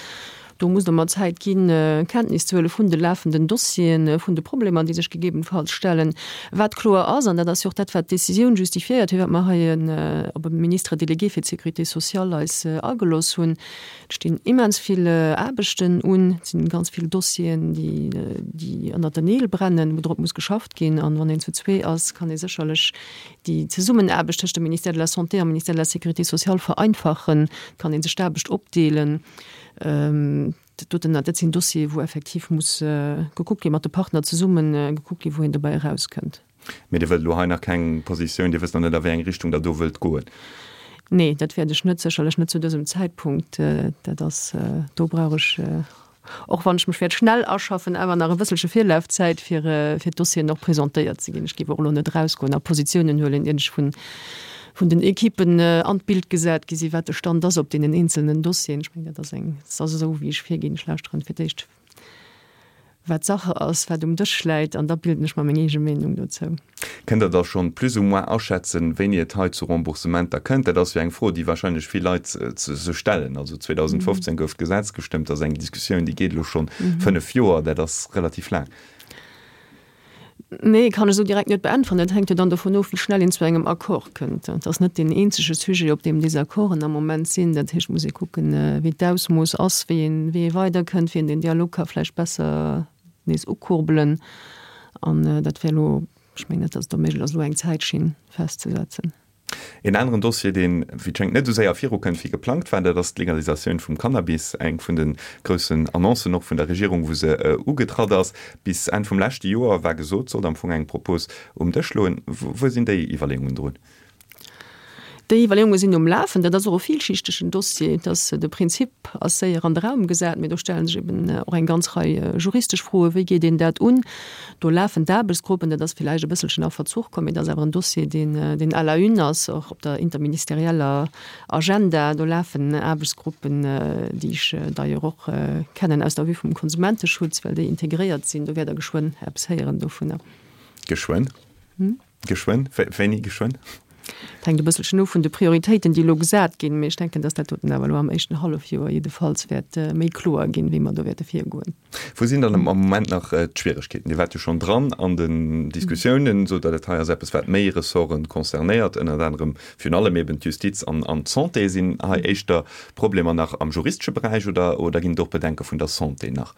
Speaker 3: Do muss Der mer Zäit ginn, Kenntnis ze huele vun de lafenden Dossieren, vun de Problemer, déi sech gegebenfalls stellen. Wat kloer ass, an dat ass jo och dat, wat d'Décisioun justifiéiert, firwat mer hei en op e Ministre délégué fir d'Sécurité sociale eis agelooss hunn, Et stinn immens vill Aarbechten un, et sinn ganz vill Dossieren, déi, déi ënnert den Neel brennen, wou drop muss geschafft ginn. An wann een zu zwee ass, kann ee sécherlech déi Zesummenaarbecht tëscht dem Ministère de la Santé am Ministère de la Sécurité sociale vereinfachen, kann ee sech d'Aarbecht opdeelen. dat doten, dat sinn Dossiere wou effektiv muss gekuckt ginn, mat de Partner zesumme gekuckt ginn, wou een dobäi erauskënnt.
Speaker 2: Mee Dir wëllt elo hei nach keng Positioun, Dir wësst nach net a wéi eng Richtung Der do wëllt goen?
Speaker 3: Nee, dat wäert ech net, sécherlech net zu dësem Zäitpunkt. Dat ass, do brauch ech, och wann ech mech wäert schnell aschaffen, awer nach e bësselche Virlafzäit, fir, fir d'Dossieren och presentéiert ze ginn. Ech géif och elo net erausgoen a Positiounen huelen, ier ech vun, vun den Ekippen an d'Bild gesat gi sinn, wat de Stand ass op deenen eenzelnen Dossieren. Ech mengen, dat ass eng, dat ass esou, wéi ech virginn. Ech lauschteren fir d'éischt, wat Sache ass, wat um Dësch läit, an da bilden ech mer meng eege Meenung dozou.
Speaker 2: Kënnt Der da schonn plus ou moins aschätzen, wéini et hei zu Remboursementer kënnt? Dat ass jo eng Fro, déi wahrscheinlech vill Leit sech stellen. Also zweedausendfofzéng gouf d'Gesetz gestëmmt, dat ass eng Diskussioun, déi geet elo schonn fënnef Joer, dat ass relativ laang.
Speaker 3: Nee, kann ech esou direkt net beäntweren. Dat hänkt jo dann dovun of, wéi schnell een zu engem Accord kënnt. Dat ass net deen eenzege Sujet, op deem Desaccorden am Moment sinn. Dat heescht, et muss ee kucken, wéi d'Ausmooss ass, wéi een, wéi ee weiderkënnt, wéi een den Dialog ka vläicht besser nees ukurbelen. An dat wär elo, ech mengen net, datt et do méiglech ass, elo eng Zäitschinn festzesetzen.
Speaker 2: Een aneren Dossier, deen, wéi et schéngt, net esou séier virukënnt, wéi geplangt war, dat ass d'Legalisatioun vum Cannabis. Eng vun de groussen Annoncen och vun der Regierung, wou se ugetratt ass. Bis Enn vum leschte Joer war gesot, sollt am Fong eng Propos um Dësch loen. Wou sinn déi Iwwerleeungen drun?
Speaker 3: Déi Iwwerleeunge sinn um Lafen. Dat ass och e villschichtegen Dossier. Et ass, de Prinzip ass séier an de Raum gesat, mee do stelle sech eben och eng ganz Rei juristesch Froen. Wéi geet een dat un? Do lafen d'Aarbechtsgruppen. Dat ass villäicht e bësselchen a Verzuch komm, mee dat ass awer en Dossier, deen, deen à la une ass, och op der interministerieller Agenda. Do lafen Aarbechtsgruppen, déi ech d'ailleurs och kennen aus der Vue vum Konsumenteschutz, well déi integréiert sinn. Do wäert Der geschwënn eppes héieren dovunner.
Speaker 2: Geschwënn? Geschwënn? Wéini geschwënn?
Speaker 3: Et hänkt e bësselchen of vun de Prioritéiten, déi elo gesat ginn, mee ech denken, dass dat doten awer elo am éischten Hallefjoer jiddefalls wäert méi kloer ginn, wéi mer do wäerte virgoen.
Speaker 2: Wou sinn dann am Moment nach d'Schwieregkeeten? Dir waart jo schonn dran an den Diskussiounen, sot Der, dat hei ass eppes, wat méi Ressorte concernéiert, ënnert anerem virun allem eben d'Justiz an d'Santé. Sinn hei éischter Problemer nach am juristesche Beräich oder ginn et och Bedenke vun der Santé nach?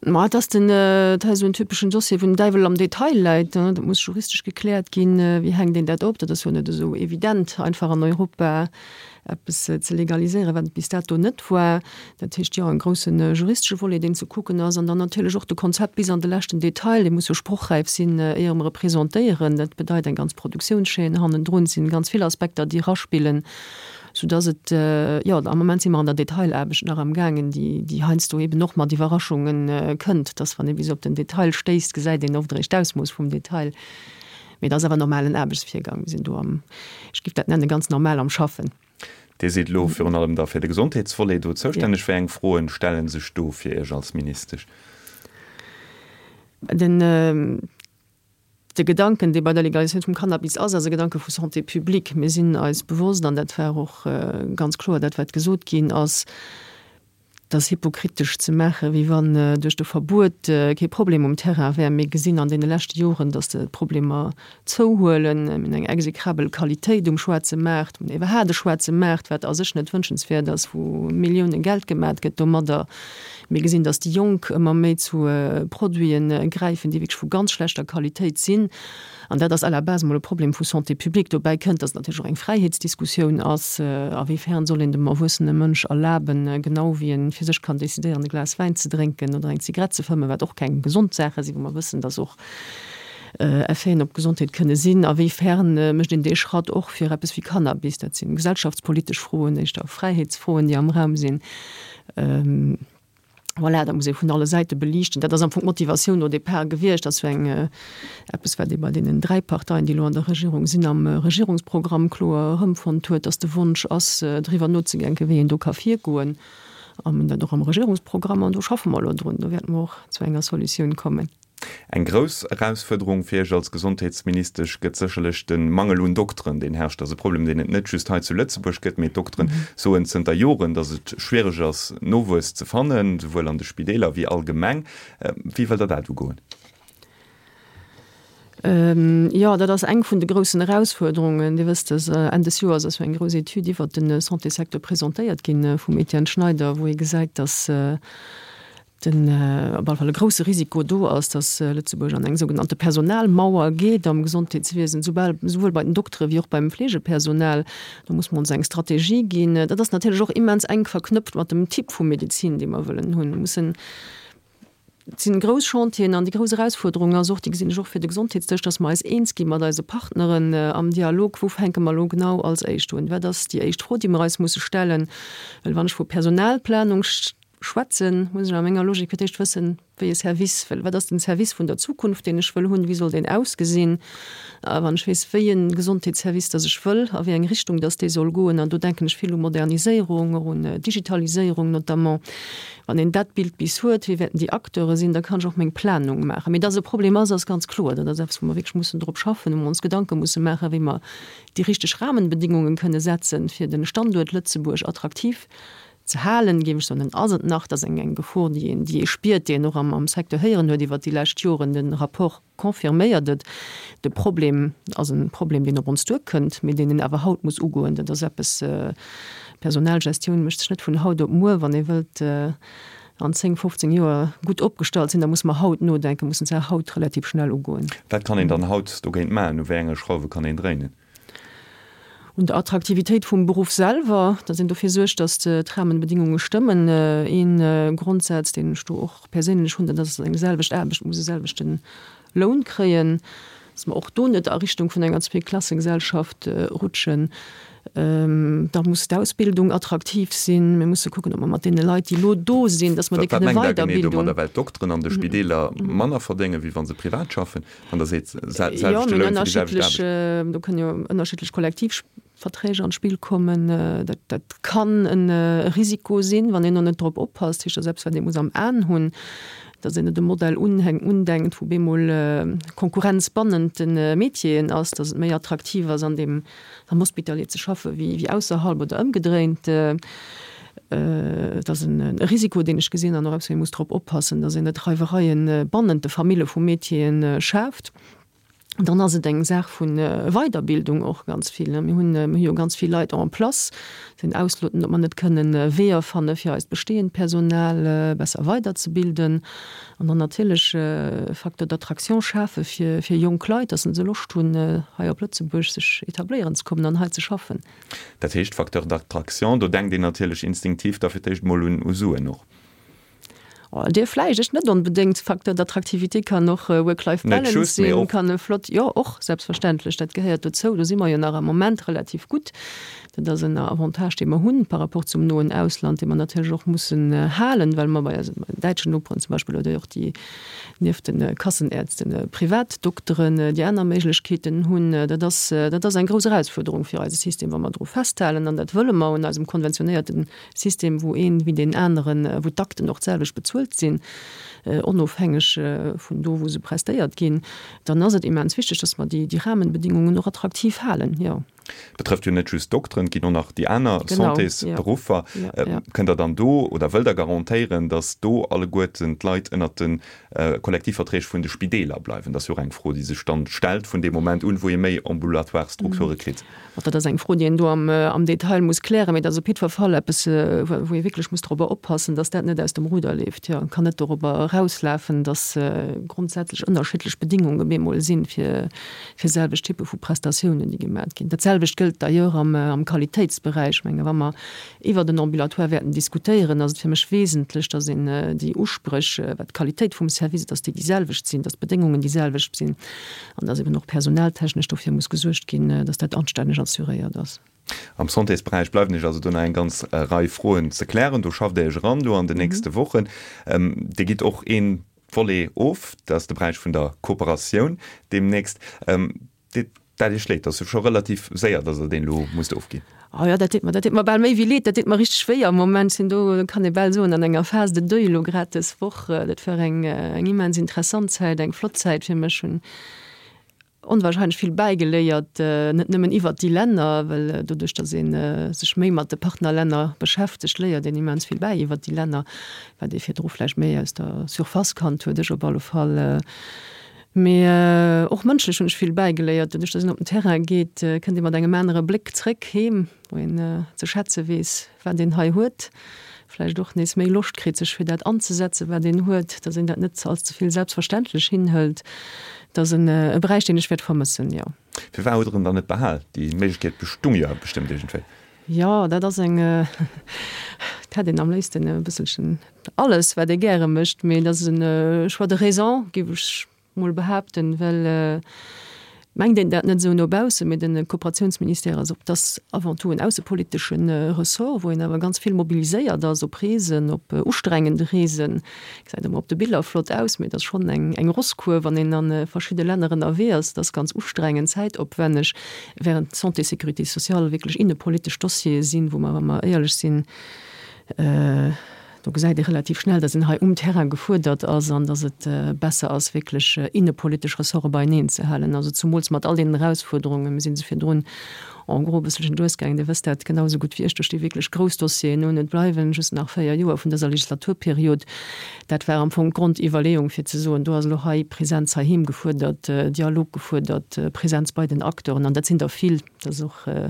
Speaker 3: Ma et ass den, et ass esou en typeschen Dossier, wou den Däiwel am Detail läit. Dat muss juristesch gekläert ginn, wéi hänkt een dat op. Dat ass jo net esou evident, einfach an Europa eppes ze legaliséieren, wat et bis dato net war. Dat heescht, jo, en grousse juristesche Volet, deen ze kucken ass, an dann natierlech och de Konzept bis an de leschten Detail, dee muss jo sprochräif sinn, éier mer e presentéieren. Dat bedeit eng ganz Produktiounschaîne hannendrun. Et sinn ganz vill Aspekter, déi eraspillen. Soudass et, jo, am Moment si mer an der Detailaarbecht nach amgaangen, déi, déi heiansdo eben och mat Iwwerraschunge kënnt, dass wann ee bis op den Detail stéisst, gesäit een oft eréischt d'Ausmooss vum Detail. Mee et ass awer normalen Aarbechtsvirgang. Mir sinn do am, ech géif dat nennen, ganz normal am Schaffen.
Speaker 2: Dir sidd elo virun allem da fir de Gesondheetsvolet do zoustänneg. Wéi eng Froen stelle sech do fir Iech als Ministesch?
Speaker 3: Den. De Gedanken, dee bei der Legaliséierung vum Cannabis ass, ass e Gedanke vu Santé publique. Mir sinn eis bewosst, an dat war och ganz kloer dat, wat gesot ginn ass, dass hypokritesch ze maachen, wéi wann duerch de Verbuet kee Problem um Terrain wär. Mir gesinn an deene leschte Joren, dass d'Problemer zouhuelen. Mir hunn eng execrabel Qualitéit um schwaarze Maart, mir hunn iwwerhaapt e schwaarze Maart, wat a sech net wënschenswäert ass, wou Millioune Geld gemat gëtt domadder. Mir gesinn, dass déi Jonk ëmmer méi zu Produite gräifen, déi wierklech vu ganz schlechter Qualitéit sinn. An dat ass à la base emol e Problem vu Santé publique. Dobäi kënnt, dass et natierlech och eng Fräiheetsdiskussioun ass, A wéi fern soll een dem erwuessene Mënsch erlaben, genau wéi e fir sech kann decidéieren, e Glas Wäin ze drénken oder eng Zigarett ze fëmmen, wat och keng gesond Saache sinn, wou mer wëssen, dass och Effeten op d'Gesondheet kënne sinn, a wéi fern mécht een dee Schratt och fir eppes wéi Cannabis? Dat si gesellschaftspolitesch Froen, éischter Fräiheetsfroen, déi am Raum sinn. Voilà, dat muss ee vun alle Säite beliichten. Dat ass am Fong d'Motivatioun au départ gewiescht. Dat ass jo eng, eppes, wat ee bei deenen dräi Parteien, déi elo an der Regierung sinn, am Regierungsprogramm kloer erëmfonnt huet, dass de Wonsch ass, driwwer nozedenken, wéi een do ka virgoen. A mir hunn dat och am Regierungsprogramm an do schaffe mer elo drun. Do wäerte mer och zu enger Solutioun kommen.
Speaker 2: Eng grouss Erausfuerderung fir Iech als Gesondheetsministesch gëtt sécherlech de Mangel un Dokteren, deen herrscht. Dat ass e Problem, deen et net just hei zu Lëtzebuerg gëtt, mee d'Dokteren soen zënter Joren, datt et schwiereg ass, Nowuess ze fannen, souwuel an de Spideeler wéi allgemeng. Wéi wëllt Der dat ugoen?
Speaker 3: Jo, dat ass eng vun de groussen Erausfuerderungen. Dir wësst, dass Enn des Joers ass jo eng grouss Etüd iwwert de Santésecteur presentéiert gi vum Etienne Schneider, wou ee gesäit, dass, den op alle Fall e grouse Risiko do ass, dass Lëtzebuerg an eng sougenannte Personalmauer geet am Gesondheetswiesen, soubal, souwuel bei den Doktere wéi och beim Fleegepersonal. Do muss mer ons eng Strategie ginn. Dat ass natierlech och immens enk verknëpft mat dem Typ vu Medezin, dee mer wëllen hunn. Mir mussen, et sinn grouss Chantieren an déi grouss Erausfuerderung ass och, déi gesinn ech och fir de Gesondheetsdësch, dass mer eis eens gi mat eise Partneren am Dialog, wou fänke mer elo genau als éischt un, wat ass déi éischt Fro, déi mer eis musse stellen. Well wann ech vu Personalplanung schwätzen, muss ech a menger Logik fir d'éischt wëssen, wéi e Service wëll, wat ass den Service vun der Zukunft, deen ech wëll hunn, wéi soll deen ausgesinn, a wann ech weess, wéi e Gesondheetsservice dass ech wëll, a wéi eng Richtung dass dee soll goen, an do denken ech vill u Moderniséierung, och un Digitaliséierung notamment, wann een dat Bild bis huet, wie wäerten déi Acteure sinn, da kann ech och meng Planung maachen. Mee dass e Problem ass, ass ganz kloer. Dat ass eppes, wou mer wierklech mussen drop schaffen, wou mer ons Gedanke musse maachen, wéi mer déi richteg Rahmenbedingungen kënne setzen, fir de Standuert Lëtzebuerg attraktiv ze halen, géif ech soen, dann ass et nach, dat ass eng eng Gefor, déi een, déi ee spiert, déi een och am am Secteur héieren huet iwwert déi lescht Joren. De Rapport confirméiert et. De Problem ass e Problem, deen op ons duerkënnt, mee deen een awer haut muss ugoen. Dat ass eppes, Personalgestioun mécht sech net vun haut op muer. Wann ee wëllt an zéng, fofzéng Joer gutt opgestallt sinn, da muss mer haut nodenken, mussen d'Saach haut relativ schnell ugoen.
Speaker 2: Wat kann een dann haut dogéint maachen? U wéi enge Schrauwe kann een dréinen?
Speaker 3: Un der Attraktivitéit vum Beruff selwer, datt een dofir suergt, datt d'Rahmenbedingunge stëmmen. Ee Grondsaz, deen ech do och perséinlech hunn, dat ass, datt eng selwecht Aarbecht muss e selwechte Loun kréien, datt mer och do net a Richtung vun enger Zweeklassegesellschaft rutschen. Da muss d'Ausbildung attraktiv sinn. Mir musse kucken, ob mer mat deene Leit, déi elo do sinn, datt mer déi
Speaker 2: Wat
Speaker 3: kënne
Speaker 2: mengt Der genee
Speaker 3: weiderbildung.
Speaker 2: domadder? Well d'Dokteren an de Spideeler manner verdéngen, wéi wa se privat schaffen? Wann Der seet,
Speaker 3: Jo,
Speaker 2: selwechte
Speaker 3: mir hunn
Speaker 2: Loun fir déi selwecht
Speaker 3: ënnerschiddlech,
Speaker 2: Aarbecht.
Speaker 3: do kënnen jo ënnerschiddlech Kollektivverträge an d'Spill kommen. Dat, dat kann e Risiko sinn, wann een do net drop oppasst. Dat heescht, dat ass eppes, wat ee muss am Aen hunn, datt een net e Modell unhänkt, undenkt, wou bemol Konkurrenz bannent de Métieren ass, datt et méi attraktiv ass, an deem, am Hospitalier ze schaffe wéi, wéi ausserhalb oder ëmgedréint. Et ass e Risiko, deen ech gesinn an och eppes, wou ee muss drop oppassen, datt een net Reiwereie bannent de Famille vu Métieren schaaft. Dann ass et eng Saach vu Weiderbildung och ganz vill. Mir hunn, mir hu jo ganz vill Leit en place, sinn ausloten, ob mer net kënnen Weeër fanne fir eist bestehend Personal besser weiderzebilden an dann natierlech e Facteur d'attraction schafe fir, fir jonk Leit, dass se Loscht hunn, hei op Lëtzebuerg sech etabléieren ze kommen an hei ze schaffen.
Speaker 2: Dat heescht, Facteur d'attraction, do denkt een natierlech instinktiv da fir d'éischt emol un u Suen och.
Speaker 3: Oh, dir vläicht, ech net onbedéngt. Facteur d'attractivité kann och
Speaker 2: Net
Speaker 3: Work-Life-Balance
Speaker 2: just, mee
Speaker 3: sinn,
Speaker 2: och.
Speaker 3: kann e flott, jo, och, selbstverständlech, dat gehéiert dozou. Do si mer jo nach am Moment relativ gutt. Dat ass en Avantage, dee mer hunn par rapport zum noen Ausland, dee mer natierlech och mussen halen, well mer bei eisen däitschen Noperen zum Beispill oder och déi nieft de Kassenärzten Privatdokteren déi aner Méiglechkeeten hunn. Dat ass, dat ass eng grouss Erausfuerderung fir eise System, wa mer dru festhalen, an dat wëlle mer, un eisem konventionéierte System, wou een wéi deen aneren, wou d'Akten och d'selwecht bezuelt sinn, onofhängeg vun do, wou se prestéiert ginn, dann ass et immens wichteg, dass mer déi Rahmenbedingungen och attraktiv halen, jo.
Speaker 2: Betrëfft jo net just d'Dokteren, et ginn och nach déi aner Santésberuffer. Kënnt Der dann do oder wëllt Der garantéieren, dass do alleguerten d'Leit ënnert de Kollektivverträg vun de Spideeler bleiwen? Dat ass jo och eng Fro, déi sech dann stellt vun deem Moment un, wou ee méi ambulatoire Strukture kritt.
Speaker 3: Dat ass eng Fro, déi een do am Detail muss klären, mee dat ass op jiddwer Fall eppes, wou ee wierklech muss dorobber oppassen, dass dat net aus dem Ruder leeft. Jo, et kann net dorobber erauslafen, dass grondsätzlech ënnerschiddlech Bedingunge bemol sinn, fir fir selwecht Typpe vu Prestatiounen, déi gemat ginn. Dat selwecht gëllt d'ailleurs am am Qualitéitsberäich. Ech menge wa mer iwwert en Ambulatoire wäerten diskutéieren, ass et fir mech wesentlech, dass een déi Uspréch, wat d'Qualitéit vum Service, dass déi déi selwecht sinn, dass d'Bedéngungen déi selwecht sinn an dass eben och personaltechnesch dofir muss gesuergt ginn, dass dat anstänneg assuréiert ass.
Speaker 2: Am Santésberäich bleiwen Iech also do nach eng ganz Rei Froen ze klären. Do schafft Der Iech eran do an den nächste Wochen. Dir gitt och ee Volet of, dat ass de Beräich vun der Kooperatioun deemnächst. Deet dat Iech leed? Dat ass jo scho relativ séier, datt Der deen elo musst ofginn.
Speaker 3: Oh jo, dat deet mer, dat deet mer bal méi wéi leed, dat deet mer richteg wéi am Moment. Sinn do, kann ee bal soen, an enger Phase de deuil elo grad dës Woch. Dat war eng, eng immens interessant Zäit, eng flott Zäit fir mech. Hunn onwahrscheinlech vill bäigeléiert, net nëmmen iwwert déi Länner, well doduerch, datt ee sech méi mat de Partnerlänner beschäftegt, léiert een immens vill bäi iwwert déi Länner, wat ee virdru vläicht méi aus der Surface kannt huet, ech op alle Fall. Mee och mënschlech hunn ech vill bäigeléiert. Doduerch, datt een op den Terrain geet, kënnt ee mat engem anere Bléck zréck heem, wou een ze schätze weess, wat een hei huet, vläicht och nees méi Loscht kritt, sech fir dat anzesetzen, wat een huet, dass een dat net als ze vill selbstverständlech hinhëlt. Dat ass en e Beräich, deen ech wäert vermëssen, jo.
Speaker 2: Firwat hutt Der en dann net behal? Déi Méiglechkeet bestung jo bestëmmt iergendwéi.
Speaker 3: Jo, dat ass eng, et hätt een am léifsten e bësselchen alles, wat ee gäre mécht, mee dat ass e Choix de raison, géif ech mol behaapten, well mengt een dat net esou no baussen, mee de Kooperatiounsministère ass op, dat avant tout en aussepolitesche Ressort, wou een awer ganz vill mobiliséiert ass op Reesen, op ustrengende Reesen. Gesäit ëmmer op de Biller flott aus, mee et ass schonn eng eng Rosskuer, wann een a verschidde Länner ënnerwee ass. Dat ass ganz ustrengend, zäitopwänneg, während Santé, Sécurité sociale wierklech innepolitesch Dossiere sinn, wou mer, wa mer éierlech sinn, do gesäit ee relativ schnell, datt een hei um Terrain gefuerdert ass an datt et besser ass, wierklech innepolitesch Ressorte beieneen ze halen. Also zumools mat all deenen Erausfuerderungen, mir si se virdrun en gros e bësselchen duerchgaangen, Dir wësst dat genau esou gutt wéi ech, do sti wierklech grouss Dossieren un. Et bleiwen just nach véier Joer vun dëser Legislaturperiod. Dat war am Fong d'Grondiwwerleeung, fir ze soen, do ass elo hei Präsenz heiheem gefuerdert, Dialog gefuerdert, Präsenz bei den Acteuren, an dat sinn der vill. Dat ass och e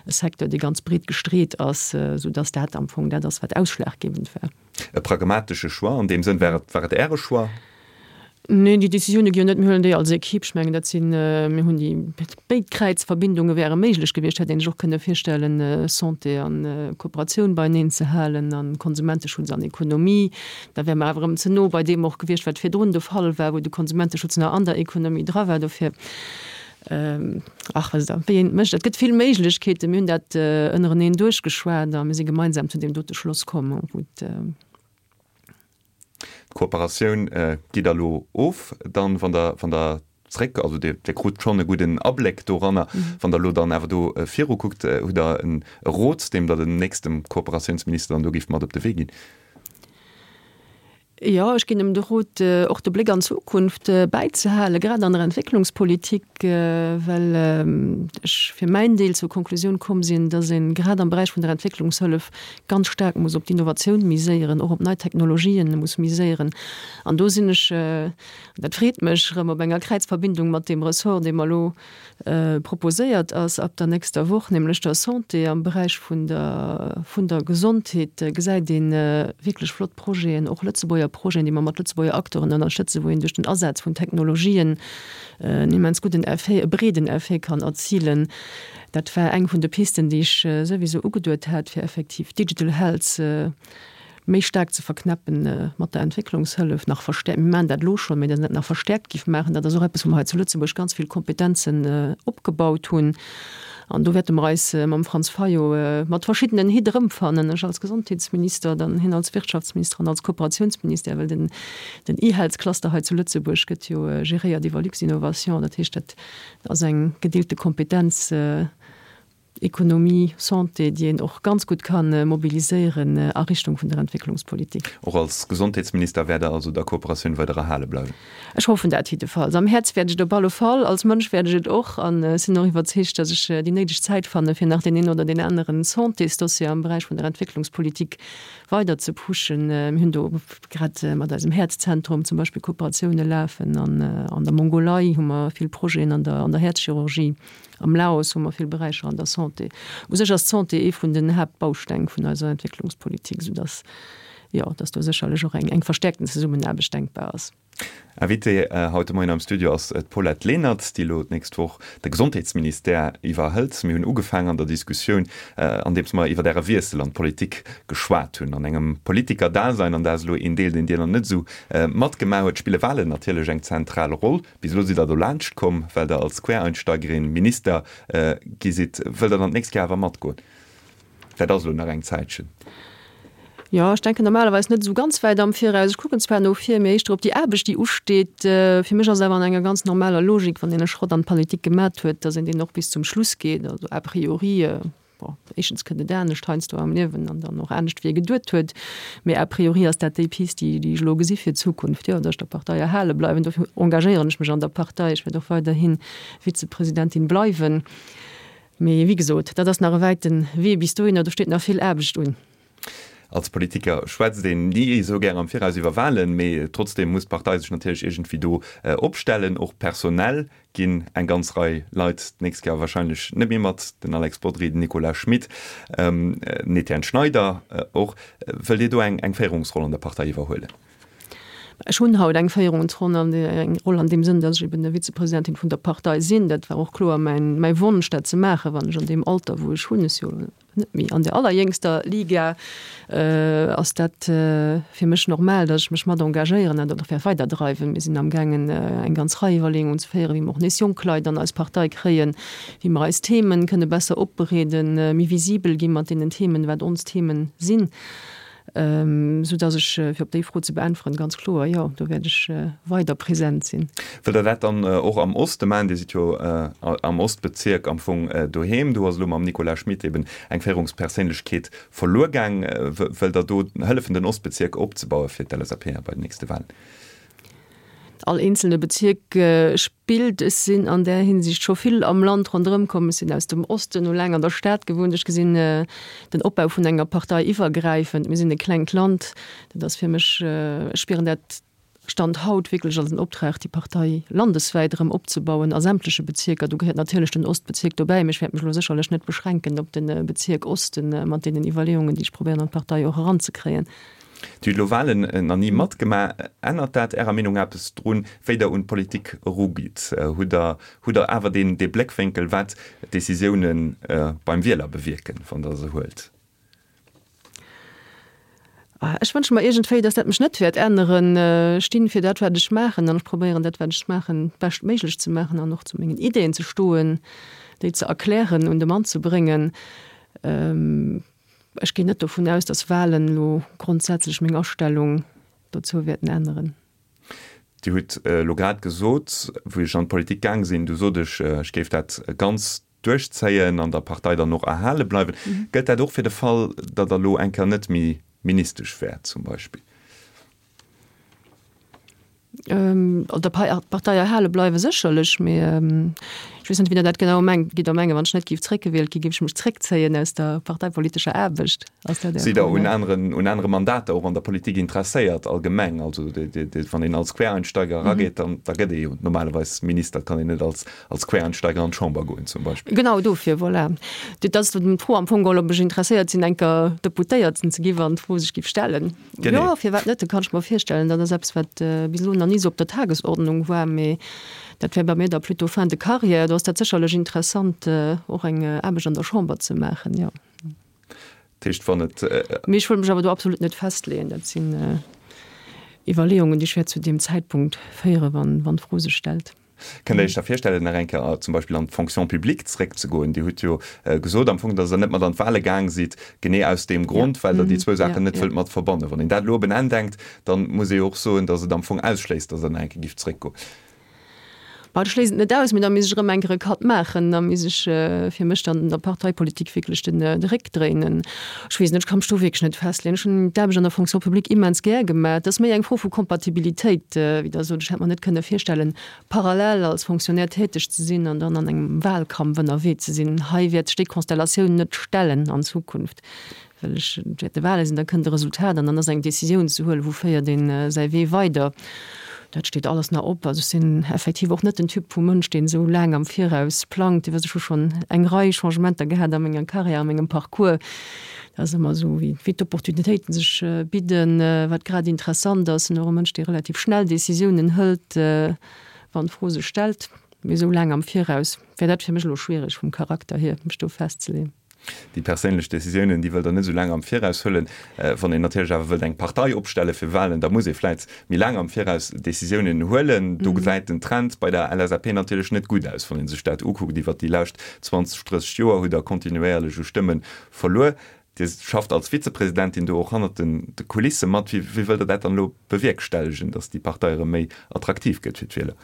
Speaker 3: Secteur, dee ganz breet gestreet ass, soudass dat am Fong dat ass, wat ausschlaggebend war.
Speaker 2: E pragmatesche Choix an deem Sënn. War et, war et Äre Choix?
Speaker 3: Neen, déi Décisioune gi jo net, mir huelen déi als Equipe. Ech mengen, dat sinn, mir hunn déi, béid Kräizverbindunge wäre méiglech gewiescht, hätt een sech och kënne virstellen, Santé a Kooperatioun beieneen ze halen a Konsumenteschutz an Ekonomie. Da wäre mer awer erëm ze no bei deem och gewiescht, wat virdrun de Fall war, wou de Konsumenteschutz nach an der Ekonomie dra war. Dofir, ach, wësst Der, wéi een et mécht, et gëtt vill Méiglechkeeten. Mir hunn dat ënnereneen duerchgeschwat a mir si gemeinsam zu deem dote Schloss komm, wou et,
Speaker 2: D'Kooperatioun gitt Der elo of, dann, wann Der, wann Der zréck, also Dir, Dir krut schonn e gudden Abléck doranner. Wann Der elo dann awer do virukuckt, hutt Der e Rot, deem Der dem nächste Kooperatiounsminister dann do géift mat op de Wee ginn?
Speaker 3: Jo, ech ginn em de Rot, och de Bléck an d'Zukunft bäizehalen, grad an der Entwécklungspolitik, well ech fir mäin Deel zur Konklusioun komm sinn, dass ee grad am Beräich vun der Entwécklungshëllef ganz staark muss op d'Innovatioun miséieren, och op nei Technologien muss miséieren. An do sinn ech, dat freet mech, erëm op enger Kräizverbindung mat deem Ressort, dee mer elo proposéiert ass ab der nächster Woch, nämlech der Santé. Am Beräich vun der, vun der Gesondheet gesäit ee wierklech flott Projeten, och Lëtzebuerger Projeten, déi mer mat Lëtzebuerger Acteuren ënnerstëtzen, wou een duerch den Asaz vun Technologien en immens gudden Effet, e breeden Effet kann erzilen. Dat war eng vun de Pisten, déi ech souwisou ugeduet hat, fir effektiv Digital Health méi staark ze verknäppen mat der Entwécklungshëllef, nach verstäerkt, mir maachen dat elo schonn, mä dass een dat nach verstäerkt géif maachen, dat ass och eppes, wou mer hei zu Lëtzebuerg ganz vill Kompetenzen opgebaut hunn. An do wäerte mer eis mam Franz Fayot mat verschiddenen Hitt erëmfannen, ech als Gesondheetsminister, dann hien als Wirtschaftsminister an als Kooperatiounsministère, well den den eHealth-Cluster hei zu Lëtzebuerg gëtt jo geréiert iwwer Luxinnovation. Dat heescht, dat ass eng gedeelte Kompetenz. Ekonomie, Santé, déi een och ganz gutt ka mobiliséieren a Richtung vun der Entwécklungspolitik.
Speaker 2: Och als Gesondheetsminister wäert Der also der Kooperatioun weider erhale bleiwen?
Speaker 3: Ech hoffen dat jiddefalls. Am Häerz wäert ech et op alle Fall, als Mënsch wäert ech et och. An ech sinn och iwwerzeegt, datt ech déi néideg Zäit fanne fir nach deen een oder deen aneren Santésdossier am Beräich vun der Entwécklungspolitik weider ze pushen. Mir hunn do grad mat eisem Häerzzentrum zum Beispill Kooperatioune lafen. An an der Mongolei hu mer vill Projeten an der an der Häerzchirurgie. Am Laos hu mer vill Beräicher an der Santé. U sech ass d'Santé ee vun den Haaptbausteng vun eiser Entwécklungspolitik, soudass, jo, dass do sécherlech och eng eng verstäerkten Zesummenaarbecht denkbar ass.
Speaker 2: Invitée haut de Moien am Studio ass d'Paulette Lenert, déi elo d'nächst Woch de Gesondheetsministère iwwerhëlt. Mir hunn ugefaangen an der Diskussioun, andeems mer iwwer Äre Wiessel an d'Politik geschwat hunn. An engem Politikerdasein, an dat ass elo een Deel, deen Dir nach net esou matgemaach huet, spille Wahlen natierlech eng zentral Roll. Bis elo sidd Der do laanscht komm, well Der als Quereinsteigerin Minister gi sidd. Wëllt Der dann d'nächst Kéier awer matgoen? Dat ass elo nach eng Zäitchen.
Speaker 3: Jo, ech denken normalerweis net esou ganz wäit am Viraus. Ech kucken zwar no vir, mee éischter op déi Aarbecht, déi usteet. Fir mech ass et awer an enger ganz normaler Logik, wann een e Schrott an d'Politik gemat huet, datt een deen och bis zum Schluss geet. Also a priori, bon, éischtens kënnt et anescht heiansdo am Liewen an dann och anescht, wéi ee geduet huet, mee a priori ass dat déi Pist, déi, déi ech elo gesi fir d'Zukunft, jo, datt ech der Partei erhale bleiwen. Dofir engagéieren ech mech an der Partei. Ech wäert och weiderhi Vizepresidentin bleiwen. Mee wéi gesot, dat ass nach e wäite Wee bis dohinner, do steet nach vill Aarbecht un.
Speaker 2: Als Politiker schwätzt een ni esou gär am Viraus iwwer Wahlen, mee trotzdeem muss d'Partei sech natierlech iergendwéi do opstellen. Och personell ginn eng ganz Rei Leit d'nächst Joer warscheinlech net méi mat, den Alex Bodry, den Nicolas Schmit, den Etienne Schneider och. Wëllt Dir do eng Féierungsroll an der Partei iwwerhuelen?
Speaker 3: Ech hunn haut eng Féierungsroll an eng Roll an deem Sënn, datt ech eben Vizepresidentin vun der Partei sinn. Dat war och kloer mäin, mäi Wonsch, dat ze maachen, wann ech an deem Alter, wou ech hunn, ech si jo net méi an der allerjéngster Liga, ass dat fir mech normal, datt ech mech mat engagéieren an dat och wäert weiderdreiwen. Mir sinn amgaangen, eng ganz Rei Iwwerleeungen ze féieren, wéi mer och nees jonk Leit an eis Partei kréien, wéi mer eis Themen kënne besser opbereeden, méi visibel gi mat deenen Themen, wat ons Themen sinn. Sou dass ech, fir op déi Fro ze beäntweren, ganz kloer, jo, do wäert ech weider present sinn.
Speaker 2: Wëllt Der dat dann och am Oste maachen? Dir sidd jo am Ostbezierk am Fong doheem. Do ass elo mam Nicolas Schmit eben eng Féierungsperséinlechkeet verluer gaang. Wëllt Der do hëllefen, den Ostbezierk opzebaue fir d'LSAP bei den nächste Wahlen?
Speaker 3: All eenzelne Bezierk spillt. Ech sinn an där Hinsicht scho vill am Land ronderëm komm. Ech sinn aus dem Osten, hu laang an der Stad gewunnt. Ech gesinn den Opbau vun enger Partei iwwergräifend. Mir sinn e klengt Land. Dat ass fir mech, ech spieren dat Stand haut wierklech als en Optrag, déi Partei landeswäit erëm opzebauen a sämtleche Bezierker. Do gehéiert natierlech den Ostbezierk dobäi, mee ech wäert mech elo sécherlech net beschränken op de Bezierk Osten mat deenen Iwwerleeungen, déi ech probéieren an d'Partei och eranzekréien.
Speaker 2: Dir hutt elo Wahlen nach ni matgemaach. Ännert dat Ärer Meenung eppes drun, wéi Der un d'Politik erugitt? Hutt Der hutt Der awer deen dee Bléckwénkel, wat d'Décisiounen beim Wieler bewierken, wann Der se huelt?
Speaker 3: Ech wënsche mer iergendwéi, datt dat mech net wäert änneren. Ech stinn fir dat, wat ech maachen, an ech probéieren, dat, wat ech maachen, beschtméiglech ze maachen an och zu mengen Ideeën ze stoen, déi ze erklären, un de Mann ze bréngen. Ech ginn net dovun aus, datt Wahlen elo grondsätzlech meng Astellung dozou wäerten änneren.
Speaker 2: Dir hutt elo grad gesot, wou ech an d'Politik gaang sinn, du sot ech, ech géif dat ganz duerchzéien an der Partei dann och erhale bleiwen. Gëllt dat och fir de Fall, datt Der elo eng Kéier net méi Ministesch wäert zum Beispill?
Speaker 3: Der Partei erhale bleiwe sécherlech, mee ech weess net, wéi Der dat genau mengt. Gitt Der mengen, wann ech net géif zréckgewielt ginn, géif ech mech zréckzéien aus der parteipolitescher Aarbecht?
Speaker 2: Ass dat Är Sidd Der Fro? Un aneren, un anere Mandater och an der Politik interesséiert allgemeng? Also wann een als Quereinsteiger erageet, dann da gëtt ee jo normalerweis Minister, et kann een net als, als Quereinsteiger an d'Chamber goen zum Beispill.
Speaker 3: Genau dofir, voilà. Dat ass d'Fro am Fong geholl, ob ech interesséiert sinn, eng Kéier Deputéierten ze ginn, wann d'Fro sech géif stellen. Genee. Jo, firwat net? Dat kann ech mer virstellen. Dat ass eppes, wat bis elo nach ni esou op der Tagesordnung war, mee dat wär bei mir da plutôt fin de carrière. Do ass dat sécherlech interessant, och eng Aarbecht an der Chamber ze maachen, jo.
Speaker 2: Dat heescht, wann et.
Speaker 3: Mee ech wëll mech awer do absolut net festleeën. Dat sinn Iwwerleeungen, déi ech wäert zu deem Zäitpunkt féieren, wann, wann d'Fro sech stellt.
Speaker 2: Kënnt Der Iech da virstellen, nach eng Kéier zum Beispill an d'Fonction publique zréckzegoen? Dir hutt jo gesot am Fong, datt Der net mat an d'Wahle gaang sidd, genee aus deem Grond, well Der déi zwou Saachen net wëllt mat verbannen. Wann een dat elo op en Enn denkt, da muss ee jo och soen, datt et am Fong ausschléisst, datt Der nach eng Kéier gift zréckgoen.
Speaker 3: Bah, ech schléissen et net aus, mee da misst ech erëm eng Kéier e Cut maachen. Da misst ech fir mech dann der Parteipolitik wierklech den de Réck dréinen. Ech weess net, ech ka mech do wierklech net festleeën. Ech hunn d'Aarbecht an der Fonction publique immens gär gemaach. Et ass méi eng Fro vu Kompatibilitéit, wéi Der sot. Ech hätt mer net kënne virstellen, parallel als Fonctionnaire täteg ze sinn an dann an engem Wahlkampf ënnerwee ze sinn. Hei wäert sech déi Konstellatioun net stellen an Zukunft, well ech, et wäerte Wahle sinn, da kënnt e Resultat an dann ass eng Décisioun ze huelen, wou féiert een säi Wee weider. Dat steet alles nach op. Also ech sinn effektiv och net den Typ vu Mënsch, deen esou laang am Viraus plangt. Dir wësst, ech hu schonn eng Rei Changementer gehat a menger Carrière, a mengem Parcours. Dat ass ëmmer esou, wéi wéi d'Opportunitéiten sech bidden, wat grad interessant ass. Sinn och e Mënsch, dee relativ schnell Décisiounen hëlt, wann d'Fro sech stellt. Mee esou laang am Viraus wär dat fir mech elo schwiereg vum Charakter hier, mech do festzeleeën.
Speaker 2: Déi perséinlech Décisiounen, déi wëllt Der net esou laang am Viraus huelen. Wann een natierlech awer wëllt eng Partei opstelle fir Wahlen, da muss ee vläit méi laang am Viraus Décisiounen huelen. Do gesäit den Trend bei der LSAP natierlech net gutt aus, wann ee sech dat ukuckt. Iwwert déi lescht zwanzeg, drësseg Joer hutt Der kontinuéierlech u Stëmme verluer. Dir schafft als Vizepresidentin do och hannert de Kulisse mat. Wéi wëllt Der dat dann elo bewierkstellegen, datt déi Partei erëm méi attraktiv gëtt fir d'Wieler?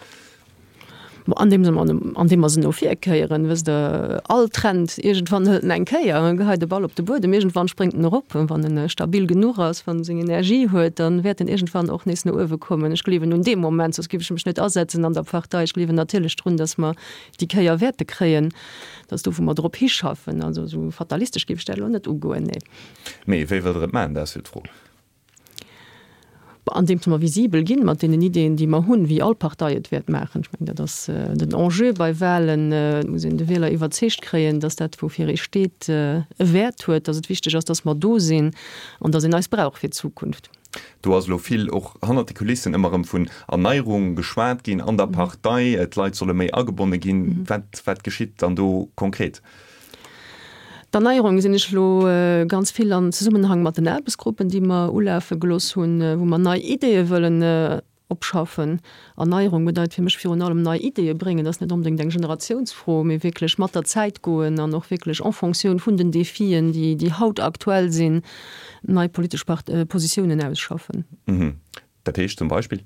Speaker 3: Andeems mer, andeem mer se no vir kéieren, wësst Der, all Trend, iergendwann hëlt en eng Kéier, e geheit de Ball op de Buedem, iergendwann spréngt en erop. Wann en stabil genuch ass, wann en seng Energie huet, dann wäert en iergendwann och nees no uewe kommen. Ech gleewen un dee Moment, soss géif ech mech net asetzen an der Partei. Ech gleewen natierlech drun, datt mer déi Kéier wäerte kréien, dat ass do, wou mer drop hischaffen. Also esou fatalistesch géif ech dat elo net ugoen, nee.
Speaker 2: Mee wéi wëllt Der et maachen, dat ass jo d'Fro.
Speaker 3: Andeems mer visibel ginn mat deenen Ideeën, déi mer hunn, wéi all Partei et wäert maachen. Ech mengen, dat ass den Enjeu bei Wahlen. Et muss een de Wieler iwwerzeegt kréien, dass dat, woufir ee steet, e Wäert huet, dass et wichteg ass, dass mer do sinn an dass een eis brauch fir d'Zukunft.
Speaker 2: Do ass elo vill och hannert de Kulissen ëmmer erëm vun Erneierung geschwat ginn an der Partei. D'Leit solle méi agebonne ginn. Wat, wat geschitt dann do konkret?
Speaker 3: D'Erneierung gesinn ech elo ganz vill an Zesummenhang mat den Aarbechtsgruppen, déi mer ulafe gelooss hunn, wou mer nei Ideeë wëllen opschaffen. Erneierung bedeit fir mech virun allem nei Ideeë bréngen. Dat ass net onbedéngt eng Generatiounsfro, mee wierklech mat der Zäit goen an och wierklech en Fonctioun vun den Defien, déi, déi haut aktuell sinn, nei politesch Positiounen ausschaffen.
Speaker 2: Dat heescht zum Beispill?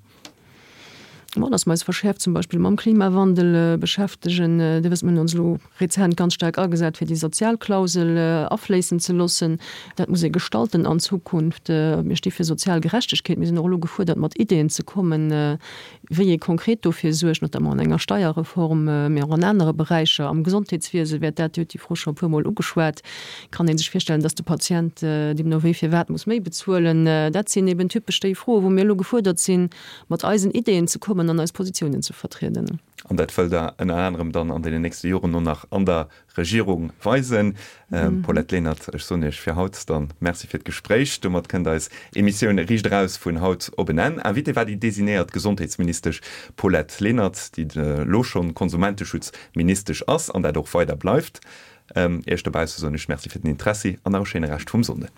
Speaker 3: Bon, dass mer eis verschäerft zum Beispill mam Klimawandel beschäftegen. Dir wësst, mir hunn ons elo rezent ganz staark agesat, fir déi Sozialklausel afléissen ze loossen. Dat muss ee gestalten an Zukunft. Mir sti fir sozial Gerechtegkeet. Mir sinn och elo gefuerdert, mat Ideeën ze kommen, wéi ee konkret dofir suergt, notamment an enger Steierreform, mee och an anere Beräicher. Am Gesondheetswiese wäert dat, Dir hutt déi Fro scho e puermol ugeschwat, kann ee sech virstellen, dass de Patient deemno wéi firwat muss méi bezuelen. Dat sinn eben typesch déi Froen, wou mir elo gefuerdert sinn, mat eisen Ideeën ze kommen an eis Positiounen ze vertrieden.
Speaker 2: An dat wëllt Der ënner anerem dann an deenen nächste Joren och nach an der Regierung weisen. Paulette Lenert, ech soen Iech fir haut dann Merci fir d'Gespréich. Domat kënnt eis Emissioun Riicht Eraus vun haut op en Enn. Invitée war déi designéiert Gesondheetsministesch Paulette Lenert, déi elo schonn Konsumenteschutzministesch ass an dat och weider bleift. Iech dobausse soen ech Merci fir den Interessi an nach e schéine Rescht vum Sonnden.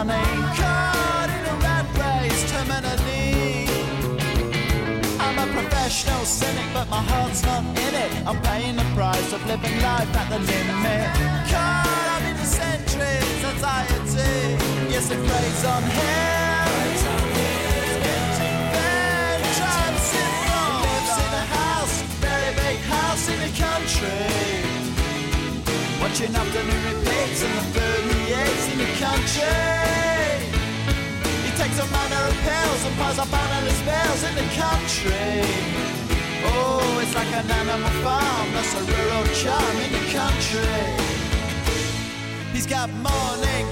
Speaker 4: money. Caught in a rat race, terminally. I'm a professional cynic, but my heart's not in it. I'm paying the price of living life at the limit. Caught up in the centuries, anxiety. Yes, it preys on him. He's getting vengeance syndrome. He lives in a house, very big house in the country. Watching afternoon repeats and the food he eats in the country. He takes a manner of pills and piles up analyst bills in the country. Oh, it's like an animal farm, that's a rural charm in the country. He's got morning